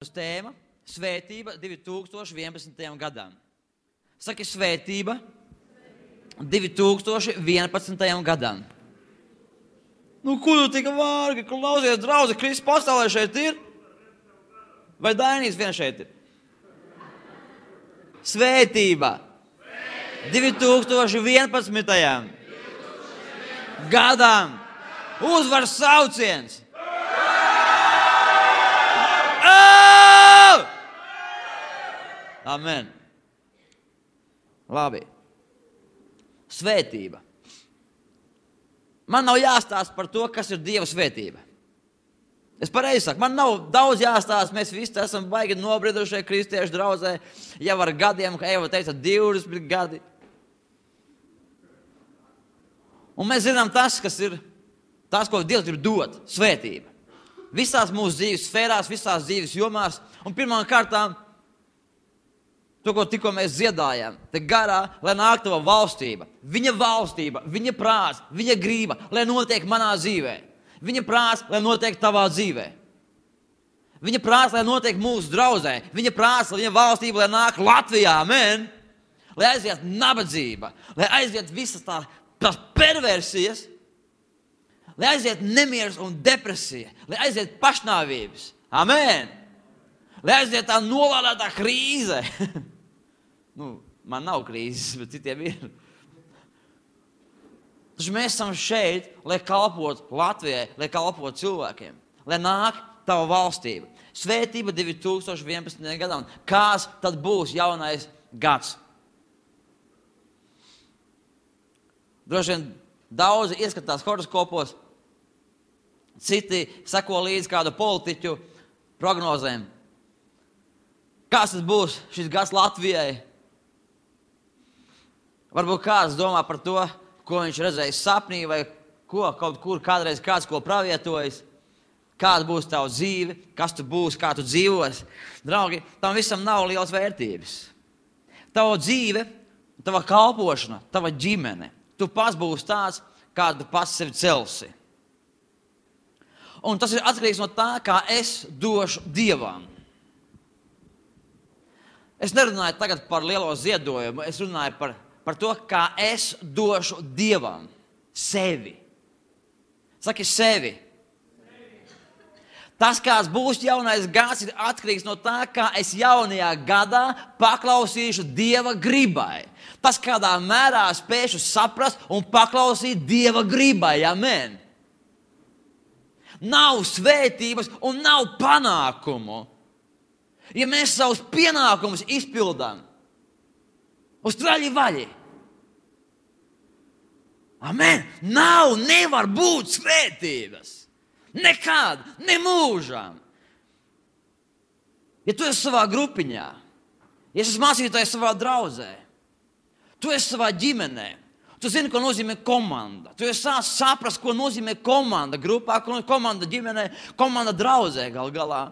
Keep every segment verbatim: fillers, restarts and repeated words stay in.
Tēma – svētība divi tūkstoši vienpadsmitajam gadam. Saki svētība divi tūkstoši vienpadsmitajam gadam. Nu, kur tu tika vārgi, klausies, draudzi, Kristus pasaulē šeit ir? Vai Dainīs vien šeit ir? Svētība divi tūkstoši vienpadsmitajam gadam. Uzvaras sauciens. Amen. Labi. Svētība. Man nav jāstāsta par to, kas ir Dieva svētība. Es pareizi saku, man nav daudz jāstāsta, mēs visi esam baigi nobriedušie kristiešu draudzē, jau ar gadiem, kā Eva teica, divdesmit gadi. Un mēs zinām tas, kas ir, tas, ko Dievs grib dot, svētība. Visās mūsu dzīves sfērās, visās dzīves jomās, un pirmām kārtām, to, ko tikko mēs dziedājām, te garā, lai nāk tava valstība, viņa valstība, viņa prāts, viņa grība, lai notiek manā dzīvē. Viņa prāts, lai notiek tavā dzīvē. Viņa prāts, lai notiek mūsu draudzē. Viņa prāts, lai viņa valstība, lai nāk Latvijā, amen. Lai aiziet nabadzība, lai aiziet visas tā, tās perversijas, lai aiziet nemieris un depresija, lai aiziet pašnāvības, amen. Lai aiziet tā nolādētā krīze. nu, man nav krīzes, bet citiem ir. Taču mēs esam šeit, lai kalpotu Latvijai, lai kalpotu cilvēkiem. Lai nāk tava valstība. Svētība divi tūkstoši vienpadsmitajam gadam. Kāds tad būs jaunais gads? Droši vien daudzi ieskatās horoskopos, citi seko līdz kādu politiķu prognozēm. Kāds tas būs šis gads Latvijai? Varbūt kāds domā par to, ko viņš redzējis sapnī, vai ko, kaut kur kādreiz kāds ko pravietojis. Kāda būs tava dzīve, kas tu būsi, kā tu dzīvos. Draugi, tam visam nav liels vērtības. Tava dzīve, tava kalpošana, tava ģimene. Tu pats būsi tāds, kādu tu pats sevi celsi. Un tas ir atkarīgs no tā, kā es došu Dievam. Es nerunāju tagad par lielo ziedojumu, es runāju par, par to, kā es došu Dievam sevi. Saki sevi. Tas, kāds būs jaunais gads, ir atkarīgs no tā, kā es jaunajā gadā paklausīšu Dieva gribai. Tas, kādā mērā spēšu saprast un paklausīt Dieva gribai. Amen. Nav svētības un nav panākumu. Ja mēs savus pienākumus izpildām uz traļi vaļi. Amen. Nav, nevar būt svētības. Nekad, ne mūžām. Ja tu esi savā grupiņā, ja esi mācītājs savā draudzē, tu esi savā ģimenē, tu zini, ko nozīmē komanda. Tu esi sāc saprast, ko nozīmē komanda grupā, komanda ģimenē, komanda draudzē gal galā.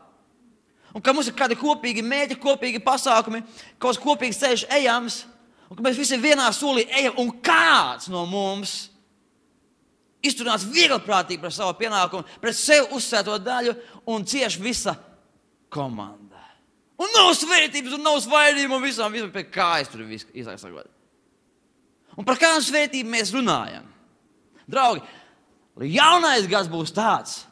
Un ka mums ir kādi kopīgi mēģi, kopīgi pasākumi, kaut kopīgs ceļš ejams, un ka mēs visi vienā solī ejam, un kāds no mums izturās vieglprātīgi par savu pienākumu, pret sev uzsēto daļu, un cieši visa komanda. Un nav svētības, un nav svaidījuma, un visam, visam pie kājas tur visu izsakot. Un par kādu svētību mēs runājam? Draugi, jaunais gads būs tāds,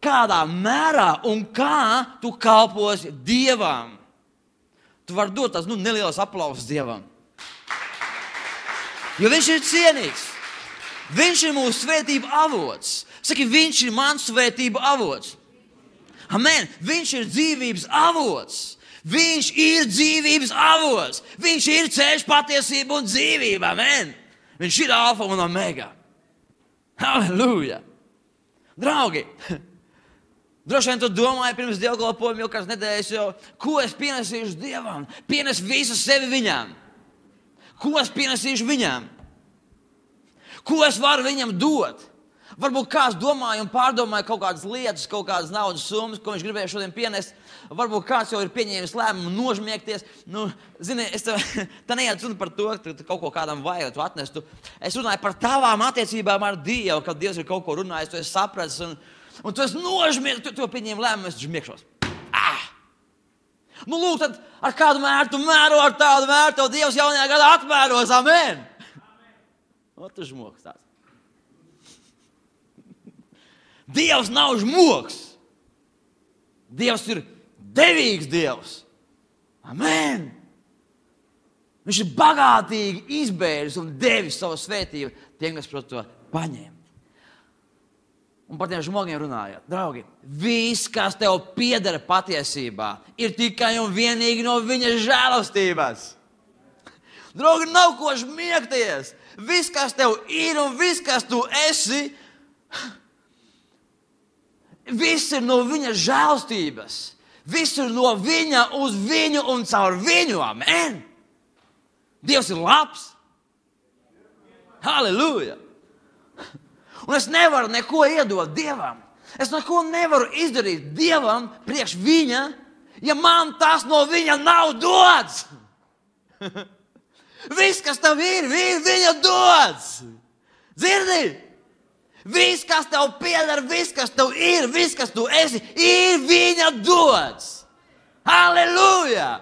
kādā mērā un kā tu kalposi Dievam. Tu vari dot tās nu, nelielas aplausas Dievam. Jo viņš ir cienīgs. Viņš ir mūsu svētība avots. Saki, viņš ir mans svētība avots. Amen. Viņš ir dzīvības avots. Viņš ir dzīvības avots. Viņš ir ceļš, patiesība un dzīvība. Amen. Viņš ir alfa un omega. Halleluja. Draugi, droši vien tu domāji pirms dievkalpojuma jau kāds nedēļas jau, ko es pienesīšu Dievam? Pienes visu sevi viņam. Ko es pienesīšu viņam? Ko es varu viņam dot? Varbūt kāds domāja un pārdomāja kaut kādas lietas, kaut kādas naudas summas, ko viņš gribēja šodien pienest. Varbūt kāds jau ir pieņēmis lēmumu nožmiegties. Nu, zini, es tev, tā neiet runa par to, ka tu kaut ko kādam vajag, tu atnestu. Es runāju par tavām attiecībām ar Dievu, kad Dievs ir kaut ko runājis, tu esi sapratis un, un tu esi nožmiegts, tu, tu pieņēmi lēmumu, es žmiegšos. Ah! Nu, lūk, tad ar kādu mēru tu mēro, ar tādu mēru, tev Dievs jaunajā gadā atmēros, amen. O, tu žmoks tāds. Dievs nav žmoks. Dievs ir devīgs Dievs. Amen. Viņš ir bagātīgi izbēris un devis savu svētību tiem, kas prot to paņemt. Un par tiem žmogiem runājot. Draugi, viss, kas tev pieder patiesībā, ir tikai un vienīgi no viņa žēlastības. Draugi, nav ko žmiegties. Viss, kas tev ir un viss, kas tu esi, viss ir no viņa žēlastības. Viss ir no viņa uz viņu un caur viņu. Amen. Dievs ir labs. Halleluja. Un es nevaru neko iedot Dievam. Es neko nevaru izdarīt Dievam priekš viņa, ja man tas no viņa nav dots. Viss, kas tev ir, ir viņa dots. Dzirdi? Viss, kas tev pieder, viss, kas tev ir, viss, kas tu esi, ir viņa dots. Halleluja!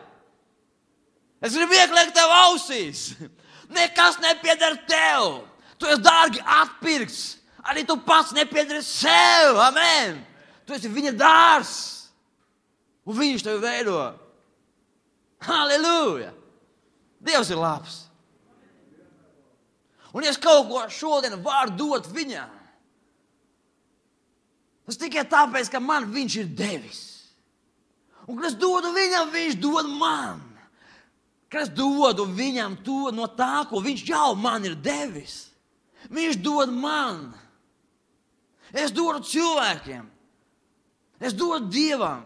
Es gribu ieklēkt tev ausīs. Nekas nepieder tev. Tu esi dārgi atpirkts. Arī tu pats nepiedari sev. Amen. Tu esi viņa dārs. Un viņš tevi veido. Halleluja. Dievs ir labs. Un ja es kaut ko šodien varu dot viņam, tas tikai tāpēc, ka man viņš ir devis. Un kad es dodu viņam, viņš dod man. Kad es dodu viņam to no tā, ko viņš jau man ir devis. Viņš dod man. Es dodu cilvēkiem. Es dodu Dievam.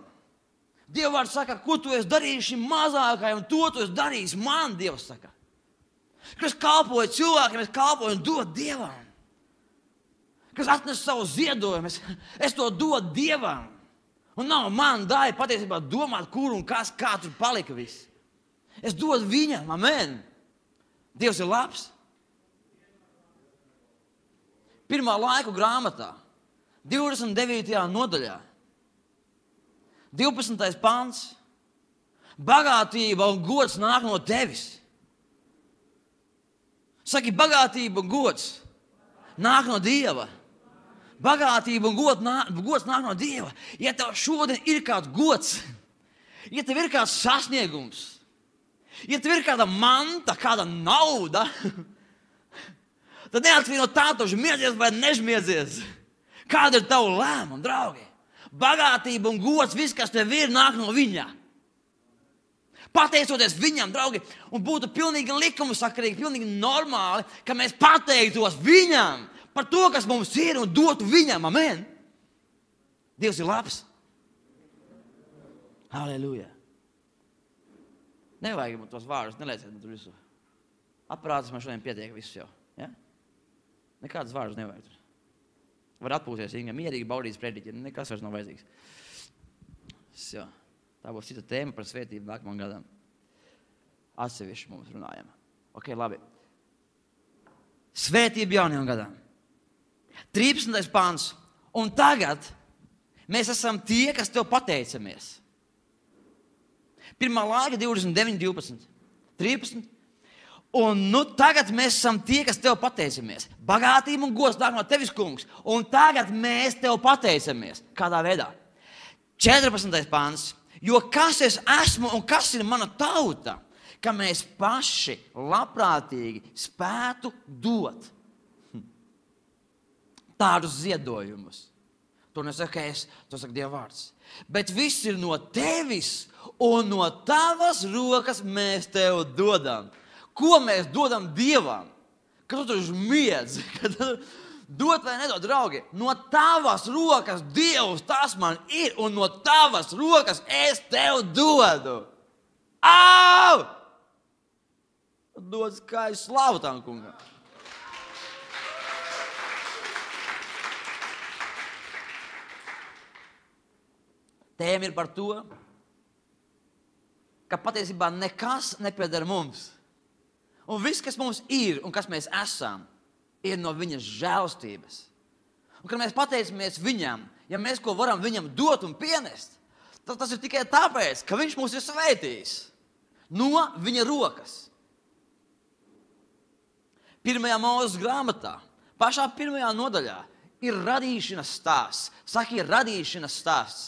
Dievvārds saka, ko tu esi darījis šim mazākajam, to tu esi darījis man, Dievs saka. Kad es kalpoju cilvēkiem, es kalpoju un dodu Dievam. Kad es atnesu savu ziedojumu, es, es to dodu Dievam. Un nav man daļa patiesībā domāt, kur un kas, kā tur palika viss. Es dodu viņam, amen. Dievs ir labs. Pirmā laiku grāmatā, divdesmit devītajā nodaļā, divpadsmitais pants. Bagātība un gods nāk no tevis. Saki, bagātība un gods nāk no Dieva. Bagātība un gods nāk, gods nāk no Dieva. Ja tev šodien ir kāds gods, ja tev ir kāds sasniegums, ja tev ir kāda manta, kāda nauda, tad neatkarīgi no tā, tu žmiedzies vai nežmiedzies. Kāda ir tava lēmuma, draugi? Bagātība un gods, viss, kas tev ir, nāk no viņa. Pateicoties viņam, draugi, un būtu pilnīgi likumasakarīgi, pilnīgi normāli, ka mēs pateiktos viņam par to, kas mums ir, un dotu viņam, amen. Dievs ir labs. Halleluja. Nevajag man tos vārdus, nelieciet man tur visu. Aparātus man šodien pietiek visu jau. Ja? Nekādas vārdus nevajag tur. Var atpūties, Inga, mierīgi baudīt sprediķi, nekas vairs nav vajadzīgs. So, tā būs cita tēma par svētību nākamajam gadam. Atsevišķi mums runājam. Ok, labi. Svētība jaunajam gadam. trīspadsmitais pants. Un tagad mēs esam tie, kas tev pateicamies. Pirmā laika divdesmit deviņi, divpadsmit. trīspadsmit. Un nu tagad mēs esam tie, kas tev pateicamies. Bagātība un gods nāk no tevis, kungs. Un tagad mēs tev pateicamies. Kādā veidā? četrpadsmitais pants. Jo kas es esmu un kas ir mana tauta, ka mēs paši labprātīgi spētu dot tādus ziedojumus. To nesaka es, to saka Dieva vārds. Bet viss ir no tevis un no tavas rokas mēs tev dodam. Ko mēs dodam Dievam? Kad tu tur žmiedz, kad tu dot vai nedod, draugi, no tavas rokas Dievs tas man ir, un no tavas rokas es tev dodu. Au! Dod skaistu slavu tam kungam. Tēma ir par to, ka patiesībā nekas nepieder mums. Un viss, kas mums ir un kas mēs esam, ir no viņas žēlstības. Un kad mēs pateicamies viņam, ja mēs ko varam viņam dot un pienest, Tas, tas ir tikai tāpēc, ka viņš mūs ir svētījis no viņa rokas. Pirmajā Mūzes grāmatā, pašā pirmajā nodaļā, ir radīšanas stāsts. Saki, ir radīšanas stāsts.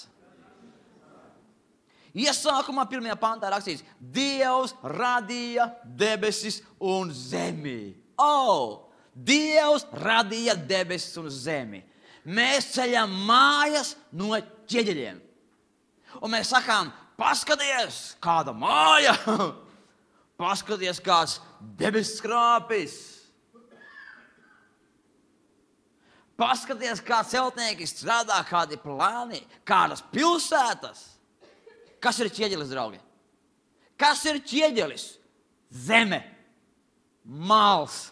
Iesākumā pirmajā pantā rakstīts, Dievs radīja debesis un zemi. O! Dievs radīja debesis un zemi. Mēs ceļam mājas no ķieģeļiem. Un mēs sakām, paskaties, kāda māja. Paskaties, kāds debesis krāpis. Paskaties, kā celtnieki strādā, kādi plāni, kādas pilsētas. Kas ir ķieģelis, draugi? Kas ir ķieģelis? Zeme. Mals.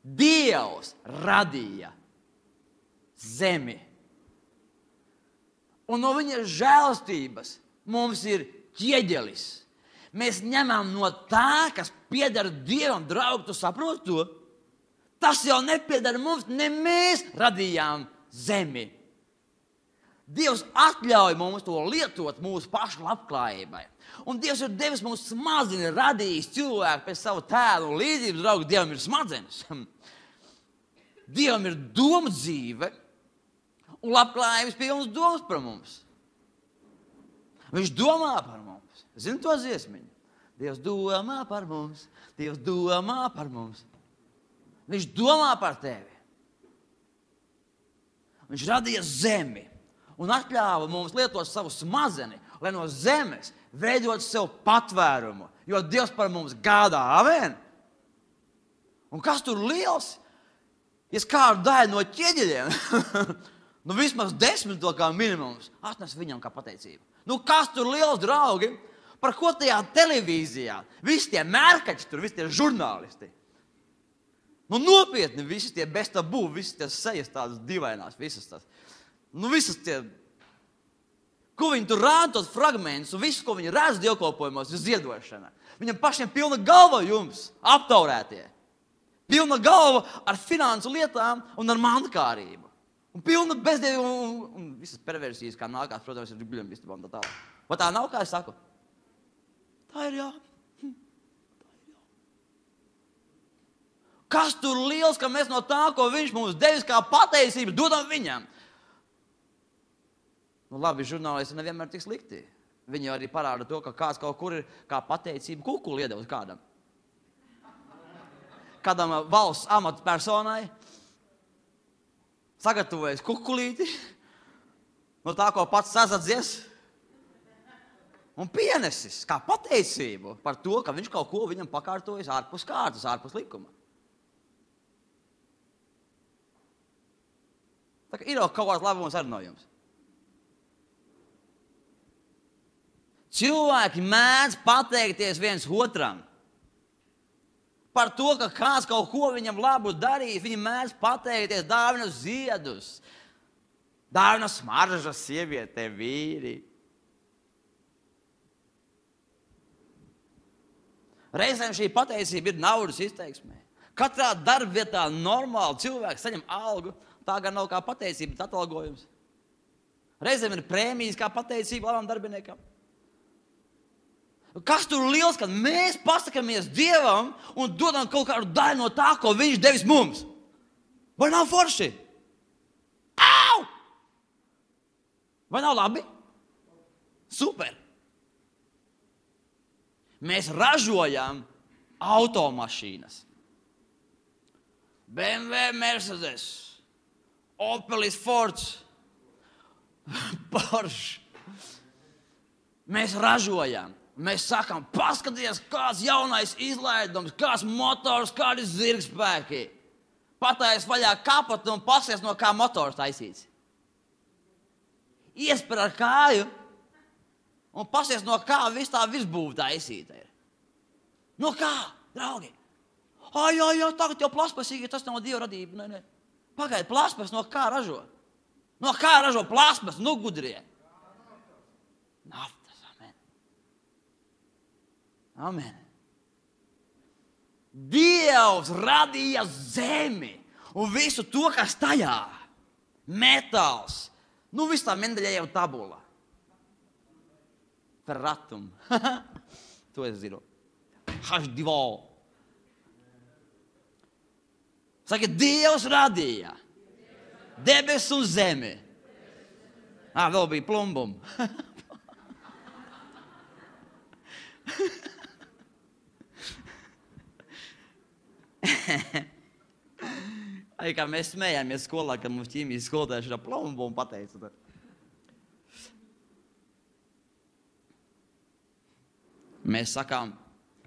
Dievs radīja zemi. Un no viņa žēlastības mums ir ķieģelis. Mēs ņemam no tā, kas pieder Dievam, draugi, tu saproti to? Tas jau nepieder mums, ne mēs radījām zemi. Dievs atļauj mums to lietot mūsu pašu labklājībai. Un Dievs ir devis mums smadzenes, radījis cilvēku pēc savu tēlu un līdzības, draugi, Dievam ir smadzenes. Dievam ir doma dzīve un labklājības pilnas domas par mums. Viņš domā par mums. Zini to dziesmiņu? Dievs domā par mums, Dievs domā par mums. Viņš domā par tevi. Viņš radīja zemi un atļāva mums lietot savu smadzeni, lai no zemes veidot sev patvērumu, jo Dievs par mums gādā. Amen! Un kas tur liels? Ja skāru daļu no ķieģeļiem, nu vismaz desmit to kā minimums, atnes viņam kā pateicību. Nu kas tur liels, draugi? Par ko tajā televīzijā? Visi tie mērkači tur, visi tie žurnālisti. Nu nopietni, visi tie bez tabū, visi tie sejas tādas divainās, visas tās. Nu visas tie, ko viņi tur rāda tos fragmentus un visu, ko viņi redz dievkalpojumos, ir ziedošana. Viņam pašiem pilna galva jums, aptaurētie. Pilna galva ar finansu lietām un ar mankārību. Un pilna bezdievu un, un visas perversijas, kā nākās, protams, ir guļam vistabā un tā tālāk. Vai tā nav, kā es saku? Tā ir jā. Kas tur liels, ka mēs no tā, ko viņš mums devis kā pateicību, dodam viņam? Nu labi, žurnālisti nevienmēr tik slikti. Viņi arī parāda to, ka kāds kaut kur ir kā pateicību kukuli iedevis kādam. Kādam valsts amatpersonai sagatavojas kukulīti no tā, ko pats sazadzies un pienesis kā pateicību par to, ka viņš kaut ko viņam pakārtojas ārpus kārtas, ārpus likuma. Tā kā ir jau kaut kāds labums arī no jums. Cilvēki mēdz pateikties viens otram par to, ka kāds kaut ko viņam labu darīs. Viņi mēdz pateikties, dāvina ziedus, dāvina smaržas sievietē, vīri. Reizēm šī pateicība ir naudas izteiksmē. Katrā darbvietā normāli cilvēks saņem algu. Tā gan nav kā pateicība, bet atalgojums. Reizēm ir prēmijas kā pateicība labam darbiniekam. Kas tur liels, kad mēs pasakamies Dievam un dodam kaut kādu daļu no tā, ko viņš devis mums? Vai nav forši? Au! Vai nav labi? Super! Mēs ražojam automašīnas. B M W, Mercedes, Opelis, Fords, Porsche. Mēs ražojam. Mēs sakām, paskaties, kāds jaunais izlaidums, kāds motors, kādi zirgspēki. Patais vaļā kapatu un pasies, no kā motors taisīts. Iesper ar kāju un pasies, no kā viss tā visbūve taisīta ir. No kā, draugi? Ai, jā, jā, tagad jau plasmasīgi, tas nav Dieva radība. Nē, nē. Pagaid, plasmas no kā ražo? No kā ražo plasmas, nu gudrie? Naftas, amen. Amen. Dievs radīja zemi un visu to, kas tajā. Metāls, Nu, viss tā Mendeļejeva tabula. Ferratum. To es zinu. H divi. Saka, Dievs radīja debes un zemi. Ā, vēl bija plumbum. Ai, kā mēs smējāmies skolā, kad mums ķīmijas skolotājs ir plumbu un pateica. Mēs sakām,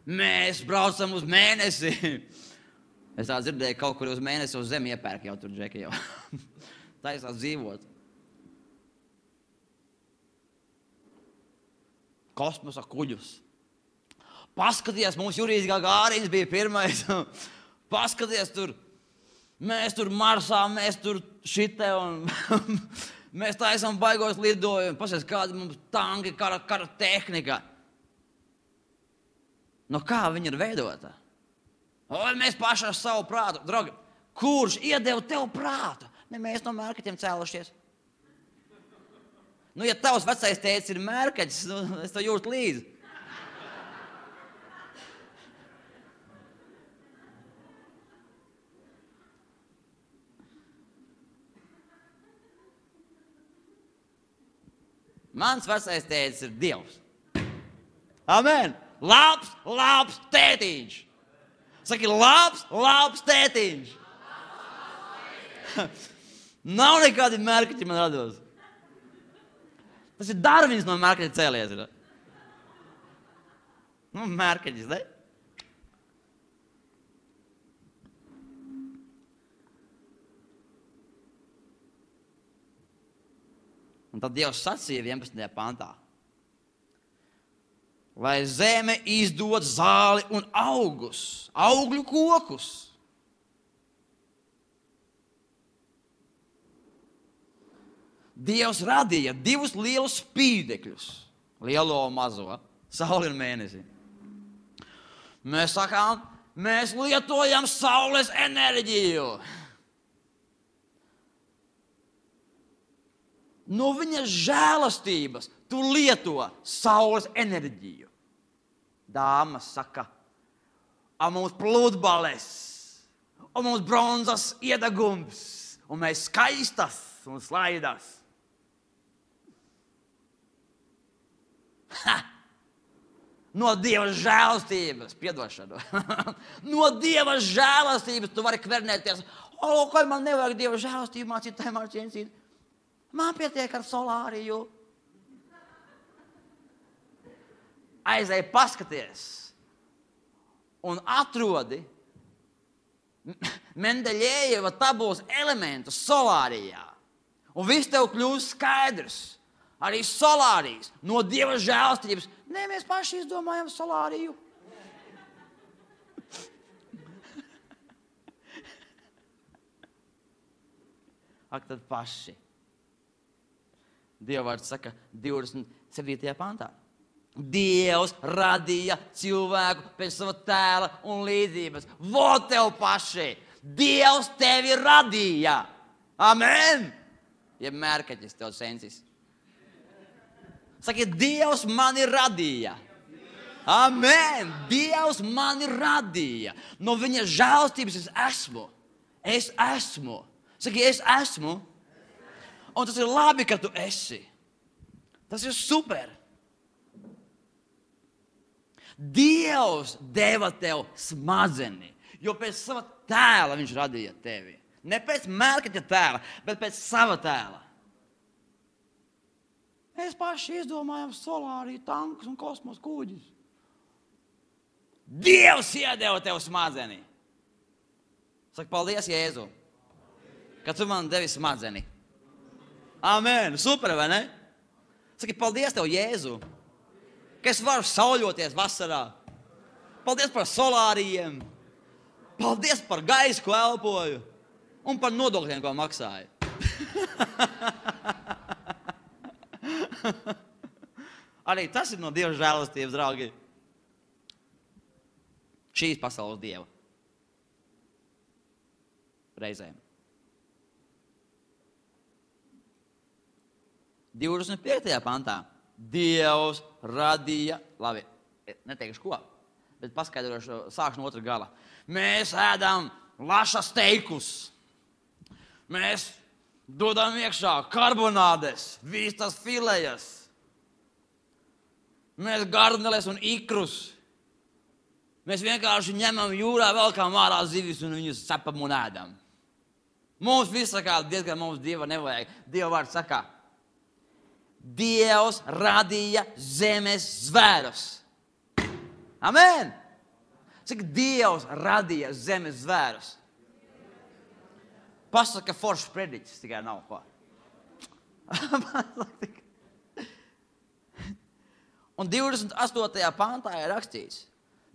mēs braucam uz mēnesi. Es tā dzirdēju, kaut kur uz mēnesi uz zemi iepērk jau tur, Džeki, jau. Taisās dzīvot. Kosmosa kuģus. Paskaties, mums Jurijs Gagārins bija pirmais. Paskaties tur. Mēs tur Marsā, mēs tur šite un mēs taisam baigos lidojumu. Paskaties, kāda mums tanki, kara, kara tehnika. No kā viņa ir veidota? Vai mēs paši ar savu prātu? Draugi, kurš iedeva tev prātu? Ne mēs no mērkaķiem cēlušies. Nu, ja tavs vecais tēcis ir mērkaķis, nu, es to jūtu līdzi. Mans vecais tētis ir Dievs. Amen. Labs, labs tētiņš. Saki, labs, labs tētiņš. Nav nekādi mērkaķi man rados. Tas ir Darvins no mērkaķa cēlies. Ir. Nu, mērkaķis, ne? Un tad Dievs sacīja vienpadsmitajā pantā, lai zeme izdod zāli un augus, augļu kokus. Dievs radīja divus lielus spīdekļus, lielo un mazo, sauli un mēnesi. Mēs sakām, mēs lietojam saules enerģiju. No viņa žēlastības tu lieto saules enerģiju. Dāmas saka, a mums pludbales, un mums bronzas iedegums, un mēs skaistas un slaidas. Ha! No Dieva žēlastības, piedošanu, no Dieva žēlastības tu vari kvernēties. O, ko man nevajag Dieva žēlastību mācīt, tā mācīt. Man pietiek ar solāriju. Aizēj paskaties un atrodi Mendeļejeva tabulas elementus solārijā. Un viss tev kļūst skaidrs. Arī solārijas no Dieva žēlastības. Nē, mēs paši izdomājam solāriju. Ak, tad paši. Dieva vārds saka divdesmit septītajā pantā. Dievs radīja cilvēku pēc sava tēla un līdzības. Vo tev paši! Dievs tevi radīja! Amen! Ja mērkaķis tev sensis. Saki, Dievs mani radīja. Amen! Dievs mani radīja. No viņa žēlastības es esmu. Es esmu. Saki, es esmu. Un tas ir labi, ka tu esi. Tas ir super. Dievs deva tev smadzeni, jo pēc sava tēla viņš radīja tevi. Ne pēc mērkaķa tēla, bet pēc sava tēla. Mēs paši izdomājam solāriju, tankus un kosmos kuģis. Dievs iedeva tev smadzeni. Saka, paldies, Jēzu, ka tu man devi smadzeni. Amen. Super, vai ne? Saki, paldies tev, Jēzu, ka es varu sauļoties vasarā. Paldies par solārijiem. Paldies par gaisu, ko elpoju. Un par nodokļiem, ko maksāju. Arī tas ir no Dieva žēlastības, draugi. Šīs pasaules Dieva. Reizēm. divdesmit piektajā pantā. Dievs radīja, labi, neteikšu ko, bet paskaidrošu, sākšu no otra gala. Mēs ēdam lašas teikus. Mēs dodam iekšā karbonādes, vistas filejas. Mēs garneles un ikrus. Mēs vienkārši ņemam jūrā, velkām ārā zivis un viņus cepam un ēdam. Mums viss sakā, diezgan mums Dieva nevajag. Dieva vārds sakā, Dievs radīja zemes zvērus. Amen! Cik Dievs radīja zemes zvērus? Pasaka foršs prediķis, tikai nav ko. Un divdesmit astotajā pantā ir rakstīts,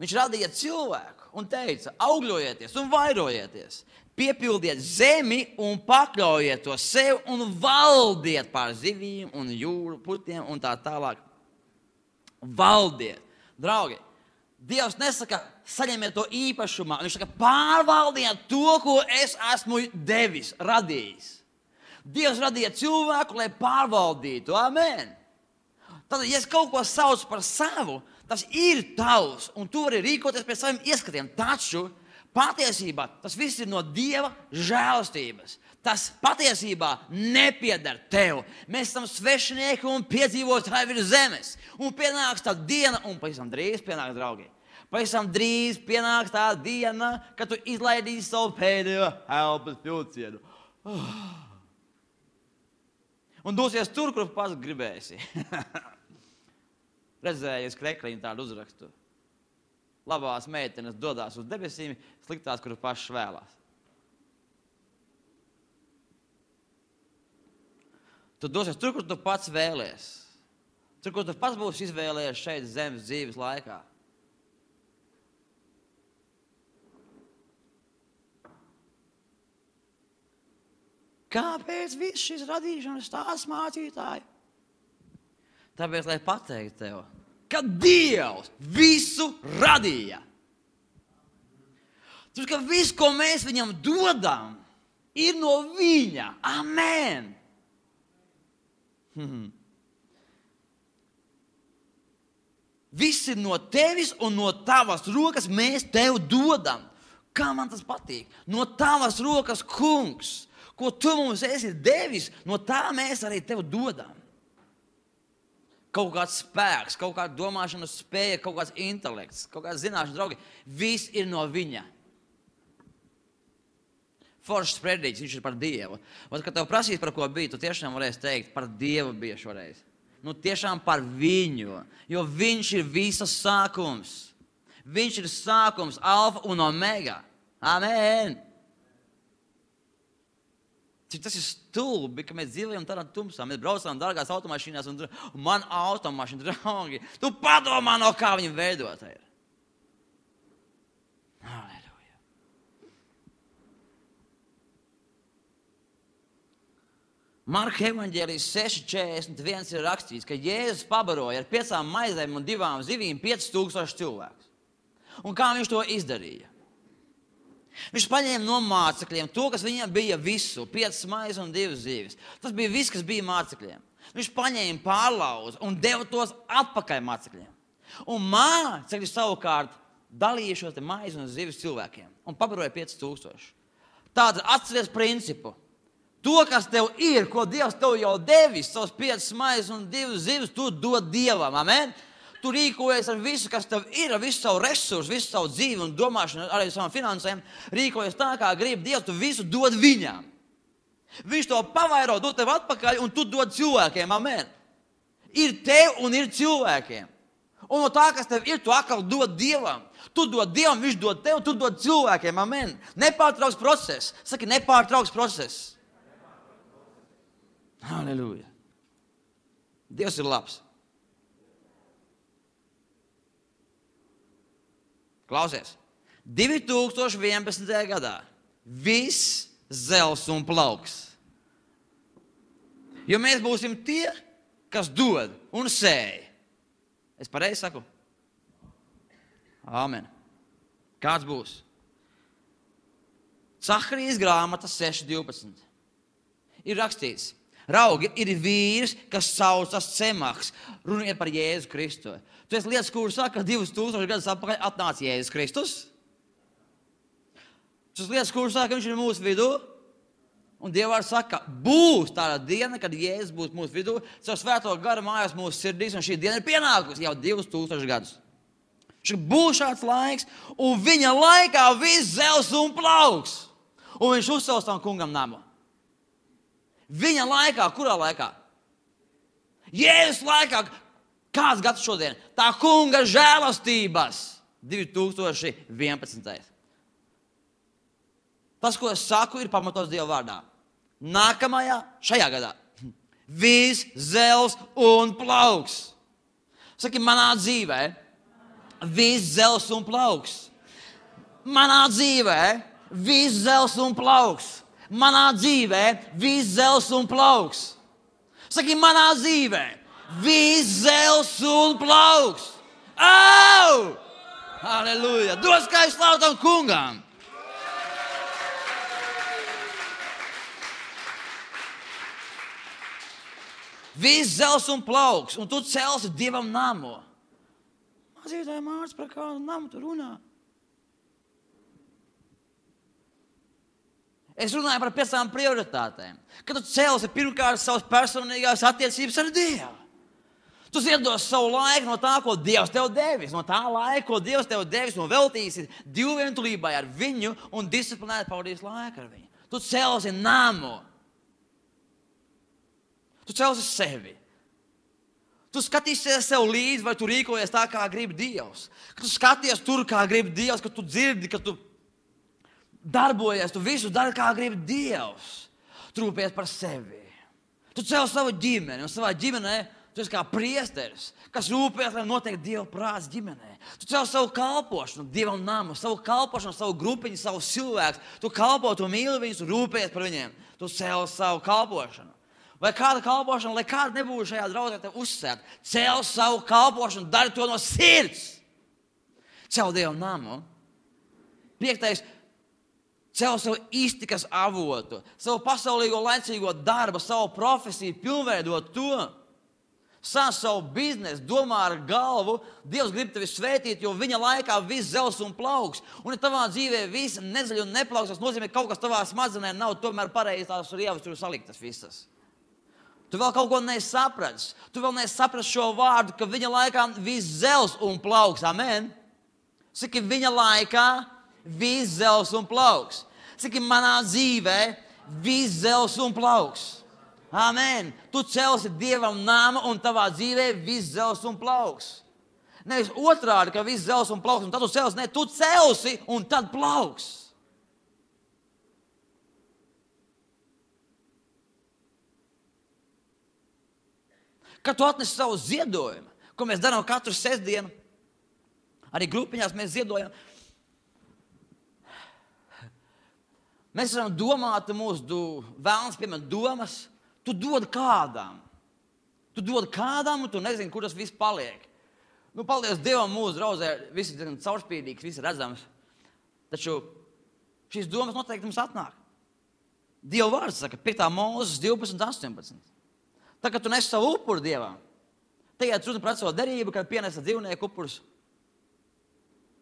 viņš radīja cilvēku un teica, augļojieties un vairojieties, piepildiet zemi un pakļaujiet to sev un valdiet pār zivīm un jūru putiem un tā tālāk. Valdiet. Draugi, Dievs nesaka, saņemiet to īpašumā. Viņš saka, pārvaldiet to, ko es esmu devis, radījis. Dievs radīja cilvēku, lai pārvaldītu. Amen. Tad, ja es kaut ko saucu par savu, tas ir tavs, un tu vari rīkoties pēc saviem ieskatiem. Taču patiesībā tas viss ir no Dieva žēlastības. Tas patiesībā nepieder tev. Mēs esam svešinieki un piedzīvotāji virs zemes. Un pienāks tā diena, un pavisam drīz pienāks, draugi. Pavisam drīz pienāks tā diena, kad tu izlaidīsi savu pēdējo elpas vilcienu. Un dosies tur, kur pats gribēsi. Redzējies krekliņu tādu uzrakstu. Labās meitenes dodās uz debesīm, sliktās, kur pašas vēlās. Tu dosies tur, kur tu pats vēlies. Tur, kur tu pats būsi izvēlējies šeit zemes dzīves laikā. Kāpēc viss šis radīšanas stāsts, mācītāji? Tāpēc, lai pateiktu tev, ka Dievs visu radīja. Tur, ka viss, ko mēs viņam dodam, ir no viņa. Amen. Hmm. Viss ir no tevis un no tavas rokas mēs tev dodam. Kā man tas patīk? No tavas rokas, kungs, ko tu mums esi devis, no tā mēs arī tev dodam. Kaut kāds spēks, kaut kāda domāšanas spēja, kaut kāds intelekts, kaut kāds zināšanas, draugi, viss ir no viņa. Foršs predīgs, viņš ir par Dievu. Un, kad tev prasīs, par ko bija, tu tiešām varēsi teikt, par Dievu bija šoreiz. Nu, tiešām par viņu, jo viņš ir visas sākums. Viņš ir sākums, alfa un omega. Amen. Cik tas ir stulbi, ka mēs dzīvojam tādā tumsā. Mēs braucām dārgās automašīnās un, un man automašīna, draugi, tu padomā, no kā viņam veidota ir. Halleluja. Marka evaņģēlijas seši četrdesmit viens ir rakstīts, ka Jēzus pabaroja ar piecām maizēm un divām zivīm piecus tūkstošus cilvēkus. Un kā viņš to izdarīja? Viņš paņēma no mācekļiem to, kas viņam bija visu, piecas maizes un divas zivis. Tas bija viss, kas bija mācekļiem. Viņš paņēma pārlauzu un deva tos atpakaļ mācekļiem. Un mācekļi savukārt dalīja šos te maizes un zivis cilvēkiem un pabaroja piecus tūkstošus. Tātad atceries principu. To, kas tev ir, ko Dievs tev jau devis, savus piecas maizes un divas zivis, tu dod Dievam. Amen? Tu rīkojies ar visu, kas tev ir, ar visu savu resursu, visu savu dzīvi un domāšanu, arī savām finansēm. Rīkojies tā, kā grib Dievs, tu visu dod viņam. Viņš to pavairo, dod tev atpakaļ un tu dod cilvēkiem. Amen. Ir tev un ir cilvēkiem. Un no tā, kas tev ir, tu atkal dod Dievam. Tu dod Dievam, viņš dod tev, tu dod cilvēkiem. Amen. Nepārtrauks process. Saki, nepārtrauks process. Halleluja. Dievs ir labs. Klausies. divi tūkstoši vienpadsmitajā gadā viss zels un plauks. Jo mēs būsim tie, kas dod un sēj. Es pareizi saku? Āmen. Kāds būs? Caharijas grāmata seši divpadsmit. Ir rakstīts. Raugi, ir vīrs, kas saucas Cemahs. Runiet par Jēzu Kristu. Tu esi lietas, kuras saka, ka divus tūkstošus gadus atpakaļ atnāca Jēzus Kristus. Tas lietas, kuras saka, ka viņš ir mūsu vidū. Un Dieva vārds saka, būs tāda diena, kad Jēzus būs mūsu vidū. Caur svēto garu mājās mūsu sirdīs, un šī diena ir pienākusi jau divus tūkstošus gadus. Viņš būs šāds laiks, un viņa laikā viss zels un plauks. Un viņš uzcels tam kungam namu. Viņa laikā, kurā laikā? Jēzus laikā, kāds gads šodien? Tā kunga žēlastības. divi tūkstoši vienpadsmitais. Tas, ko es saku, ir pamatots Dieva vārdā. Nākamajā, šajā gadā. Viss zels un plauks. Saki, manā dzīvē, viss zels un plauks. Manā dzīvē, viss zels un plauks. Manā dzīvē, viss zels un plauks. Saki, manā dzīvē, viss zels un plauks. Au! Halleluja! Dos kā es slavu tam kungam! Viss zels un plauks, un tu celsi Dievam namu. Mācītāji Mārts, par kādu namu tu runā? Es runāju par piecām prioritātēm. Kad tu celsi pirmkārt savas personīgās attiecības ar Dievu. Tu ziedos savu laiku no tā, ko Dievs tev devis. No tā laika, ko Dievs tev devis, un veltīsi divvientulībai ar viņu un disciplinēti pavadīs laiku ar viņu. Tu celsi namu. Tu celsi sevi. Tu skatīsies sev līdzi, vai tu rīkojies tā, kā grib Dievs. Kad tu skaties tur, kā grib Dievs, kad tu dzirdi, kad tu darbojies, tu visu dari, kā grib Dievs. Tu rūpējies par sevi. Tu celsi savu ģimeni, un savā ģimenē tu esi kā priesteris, kas rūpējas, lai notiek Dieva prāts ģimenē. Tu celsi savu kalpošanu, Dievam namu, savu kalpošanu, savu grupiņu, savu cilvēku. Tu kalpo, tu mīli viņus, tu rūpējies par viņiem. Tu celsi savu kalpošanu. Vai kāda kalpošana, lai kāda nebūtu šajā draudzē tev uzsērt, celsi savu kalpošanu, dari to no sirds. Cel Dievam namu. Piektais, cel savu iztikas avotu, savu pasaulīgo laicīgo darbu, savu profesiju, pilnveidot to. Sāc savu biznesu, domā ar galvu, Dievs grib tevi svētīt, jo viņa laikā viss zels un plauks. Un ja tavā dzīvē viss nezaļ un neplauks, tas nozīmē, ka kaut kas tavā smadzenē nav tomēr pareizi tās rievas tur saliktas visas. Tu vēl kaut ko nesaprats. Tu vēl nesaprats šo vārdu, ka viņa laikā viss zels un plauks. Amen. Saki, viņa laikā viss zels un plauks. Saki, manā dzīvē viss zels un plauks. Amen. Tu celsi Dievam namu un tavā dzīvē viss zels un plauks. Nevis otrādi, ka viss zels un plauks, un tad tu celsi. Ne, tu celsi un tad plauks. Kad tu atnesi savu ziedojumu, ko mēs darām katru sestdienu, arī grupiņās mēs ziedojam, mēs varam domāt mūsu vēlns, piemēram, domas, tu dod kādām. Tu dod kādām, un tu nezini, kur tas viss paliek. Nu, paldies Dievam, mūsu draudzē, viss ir caurspīdīgs, viss ir redzams. Taču šīs domas noteikti mums atnāk. Dieva vārds saka, piekta Mūzes divpadsmit astoņpadsmit. Tā, kad tu nes savu upuru Dievam, tagad runa par savu derību, kad pienesa dzīvnieku upurus.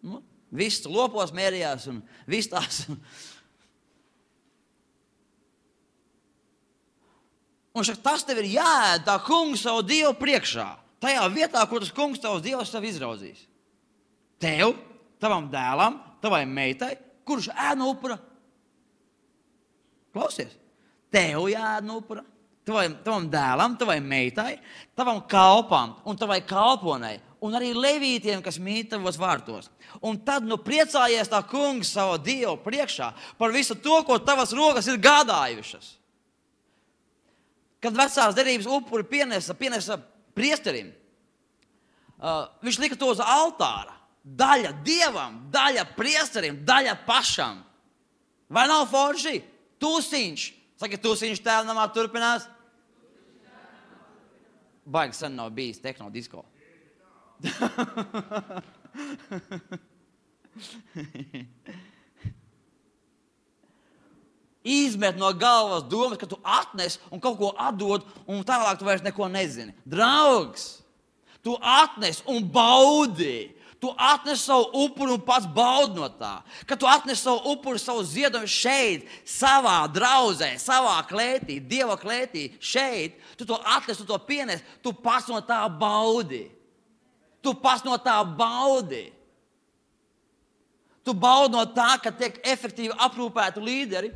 Nu, viss lopos mērījās un viss tās. Un šak, tas tev ir jāēd tā kungs savu Dievu priekšā. Tajā vietā, kur tas kungs tavs Dievs tev izraudzīs. Tev, tavam dēlam, tavai meitai, kurš ēd no upura? Klausies. Tev jāēd no upura. Tavam, tavam dēlam, tavai meitai, tavam kalpam un tavai kalponai, un arī levītiem, kas mīt tavos vārtos. Un tad nu priecājies tā kungs savu Dievu priekšā par visu to, ko tavas rokas ir gādājušas. Kad vecās derības upuri pienesa, pienesa priesterim, uh, viņš lika to uz altāra. Daļa Dievam, daļa priesterim, daļa pašam. Vai nav forši? Tūsiņš. Saka, tūsiņš tēvnamā turpinās. Baigi sen nav bijis tehno disko. Izmet no galvas domas, ka tu atnes un kaut ko atdod, un tālāk tu vairs neko nezini. Draugs, tu atnes un baudi. Tu atnes savu upuru un pats baudi no tā. Kad tu atnes savu upuru, savu ziedojumu šeit, savā draudzē, savā klētī, Dieva klētī, šeit, tu to atnes, tu to pienes, tu pats no tā baudi. Tu pats no tā baudi. Tu baudi no tā, ka tiek efektīvi aprūpēti līderi.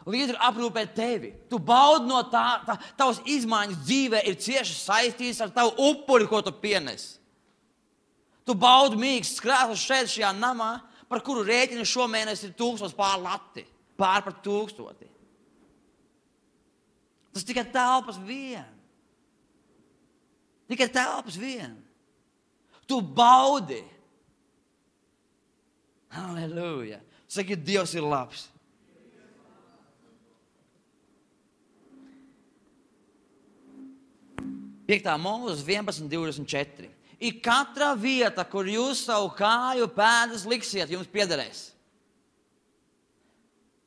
Līderi aprūpē tevi. Tu baudi no tā, tā tavas izmaiņas dzīvē ir cieši saistītas ar tavu upuri, ko tu pienes. Tu baudi mīksts krēsls šeit, šajā namā, par kuru rēķini šomēnes ir tūkstots pār lati. Pār par tūkstoti. Tas tikai telpas vien. Tikai telpas vien. Tu baudi. Halleluja. Saki, Dievs ir labs. Piektā mūzes vienpadsmit divdesmit četri. Ir katra vieta, kur jūs savu kāju pēdas liksiet, jums piederēs.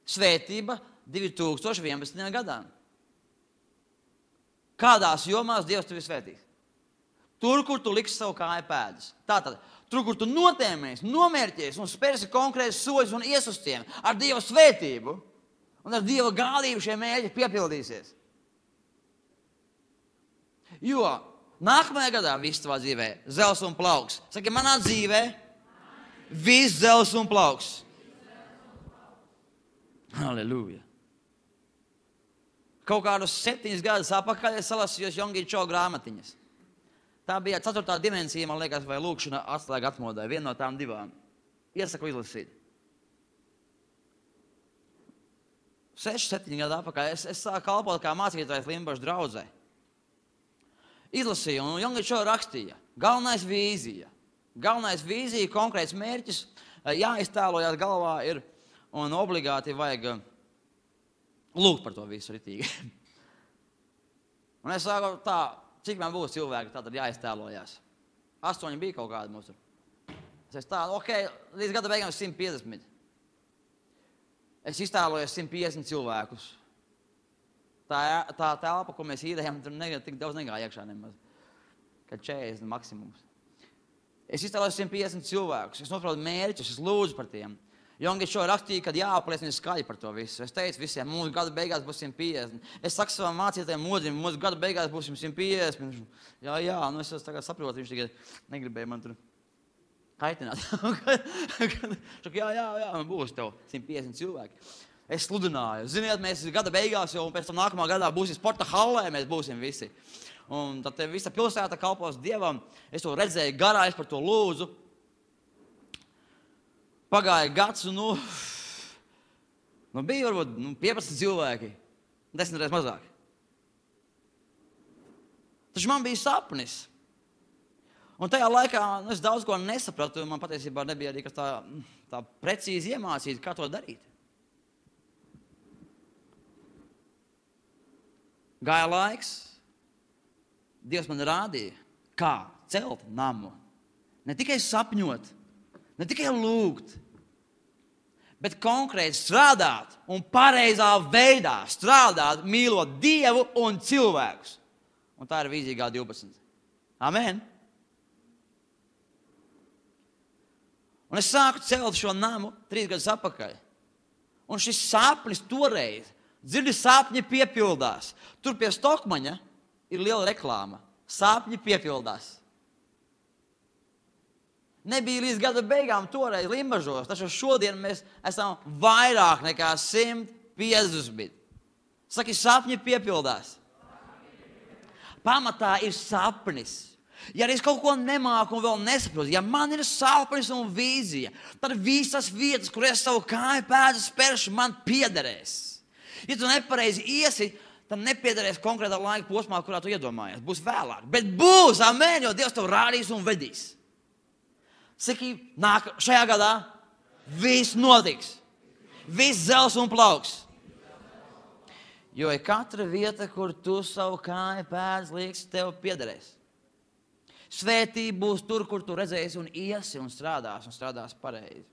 Svētība divi tūkstoši vienpadsmitajā gadā. Kādās jomās Dievs tevi svētīs? Tur, kur tu liksi savu kāju pēdas. Tātad, tur, kur tu notēmies, nomērķies un spērsi konkrētus soļus un ies uz tiem ar Dieva svētību un ar Dieva gādību šie mērķi piepildīsies. Jo nākamajā gadā viss tavā dzīvē zels un plauks. Saki, manā dzīvē viss zels un plauks. Halleluja. Kaut kādus septiņus gadus apakaļ es salasījos Jongi Cho grāmatiņas. Tā bija ceturtā dimensija, man liekas, vai lūkšana atslēga atmodai. Viena no tām divām. Iesaku izlasīt. Seši, septiņi gadu apakaļ es, es sāku kalpot kā mācītājs Limbašu draudzē. Izlasīju, un Jongi Cho rakstīja. Galvenais vīzija. Galvenais vīzija, konkrēts mērķis, jāiztēlojās galvā ir, un obligāti vajag lūgt par to visu ritīgi. Un es sāku tā, cik man būs cilvēki, tā tad jāiztēlojās. Astoņi bija kaut kādi mūsu. Es tā, ok, līdz gada beigām simt piecdesmit. Es iztēlojos simt piecdesmit cilvēkus. Tā, tā telpa, ko mēs īdējām, tur ne, tik daudz negāja iekšā nemaz. Kad četrdesmit maksimums. Es iztēlojos simt piecdesmit cilvēkus. Es noprotu mērķus, es lūdzu par tiem. Jongi Cho rakstīja, kad jāapliecina skaļi par to visu. Es teicu visiem, mūsu gada beigās būs simt piecdesmit. Es saku savam mācītājiem modzim, mūsu gada beigās būs simt piecdesmit. Jā, jā, nu es tagad saprotu, viņš tikai negribēja man tur kaitināt. Šak, jā, jā, jā, man būs tev simt piecdesmit cilvēki. Es sludināju. Ziniet, mēs gada beigās jau un pēc tam nākamā gadā būsim sporta hallē, mēs būsim visi. Un tad visa pilsēta kalpos Dievam. Es to redzēju garā, es par to lūdzu. Pagāja gads un, nu, nu bija varbūt nu, piecpadsmit cilvēki. Desmit reizes mazāk. Taču man bija sapnis. Un tajā laikā nu, es daudz ko nesapratu. Man patiesībā nebija arī tā, tā precīzi iemācīt, kā to darīt. Gāja laiks, Dievs man rādīja, kā celt namu. Ne tikai sapņot, ne tikai lūgt, bet konkrēti strādāt un pareizā veidā strādāt, mīlot Dievu un cilvēkus. Un tā ir vīzija G divpadsmit. Amen. Un es sāku celt šo namu trīs gadus atpakaļ. Un šis sapnis toreiz, dzirdi, sapņi piepildās. Tur pie Stokmaņa ir liela reklāma. Sapņi piepildās. Nebija līdz gada beigām toreiz Limbažos, taču šodien mēs esam vairāk nekā simt piecdesmit. Saki, sapņi piepildās. Pamatā ir sapnis. Ja arī es kaut ko nemāku un vēl nesaprotu, ja man ir sapnis un vīzija, tad visas vietas, kur es savu kāju pēdas spēršu, man piederēs. Ja tu nepareizi iesi, tad nepiederēs konkrētā laika posmā, kurā tu iedomājies. Būs vēlāk. Bet būs, amen, jo Dievs tev rādīs un vedīs. Saki, nāk, šajā gadā viss notiks. Viss zels un plauks. Jo ir katra vieta, kur tu savu kāju pēdas lieks, tev piederēs. Svētība būs tur, kur tu redzēsi un iesi un strādās un strādās pareizi.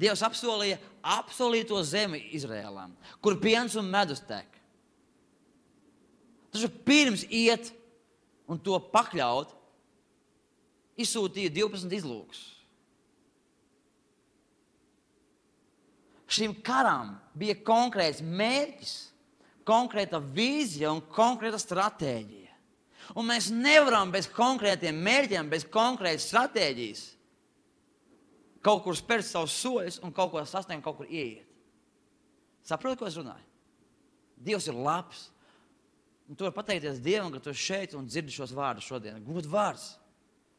Dievs apsolīja apsolīto zemi Izrēlam, kur piens un medus tek. Taču pirms iet un to pakļaut, izsūtīja divpadsmit izlūkus. Šim karam bija konkrēts mērķis, konkrēta vīzija un konkrēta stratēģija. Un mēs nevaram bez konkrētiem mērķiem, bez konkrētas stratēģijas kaut kur spērt savus soļus un kaut ko sasniegt, kaut kur ieiet. Saproti, ko es runāju? Dievs ir labs. Un tu vari pateikties Dievam, ka tu esi šeit un dzirdi šos vārdus šodien. Gud vārds.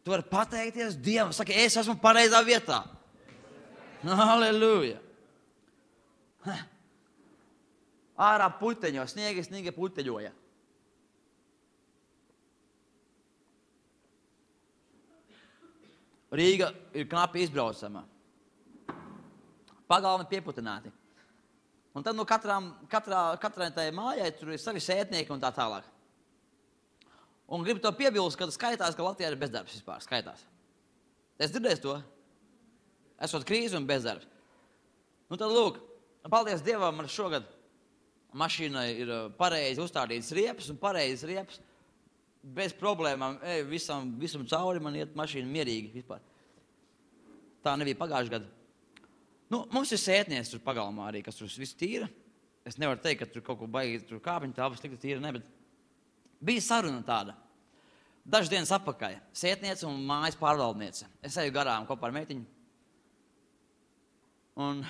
Tu vari pateikties Dievam. Saki, es esmu pareizā vietā. Halleluja. Ārā puteņo, sniegi, sniegi puteņoja. Rīga ir knapi izbraucama. Pagalmi pieputināti. Un tad no katrām, katrā, katrai tai mājai tur ir savi sētnieki un tā tālāk. Un gribu to piebilst, ka skaitās, ka Latvijā ir bezdarbs vispār. Skaitās. Es dzirdēju to. Esot krīze un bezdarbs. Nu tad lūk, paldies Dievam, man šogad mašīnai ir pareizi uzstādītas riepas un pareizes riepas. Bez problēmām, ej, visam, visam cauri man iet mašīna mierīgi vispār. Tā nebija pagājuši gadu. Nu, mums ir sētnieks tur pagalmā arī, kas tur viss tīra. Es nevaru teikt, ka tur kaut ko baigi, tur kāpiņu tāpas slikti tīra, ne, bet bija saruna tāda. Dažas dienas atpakaļ. Sētniece un mājas pārvaldniece. Es eju garām kopā ar meitiņu. Un,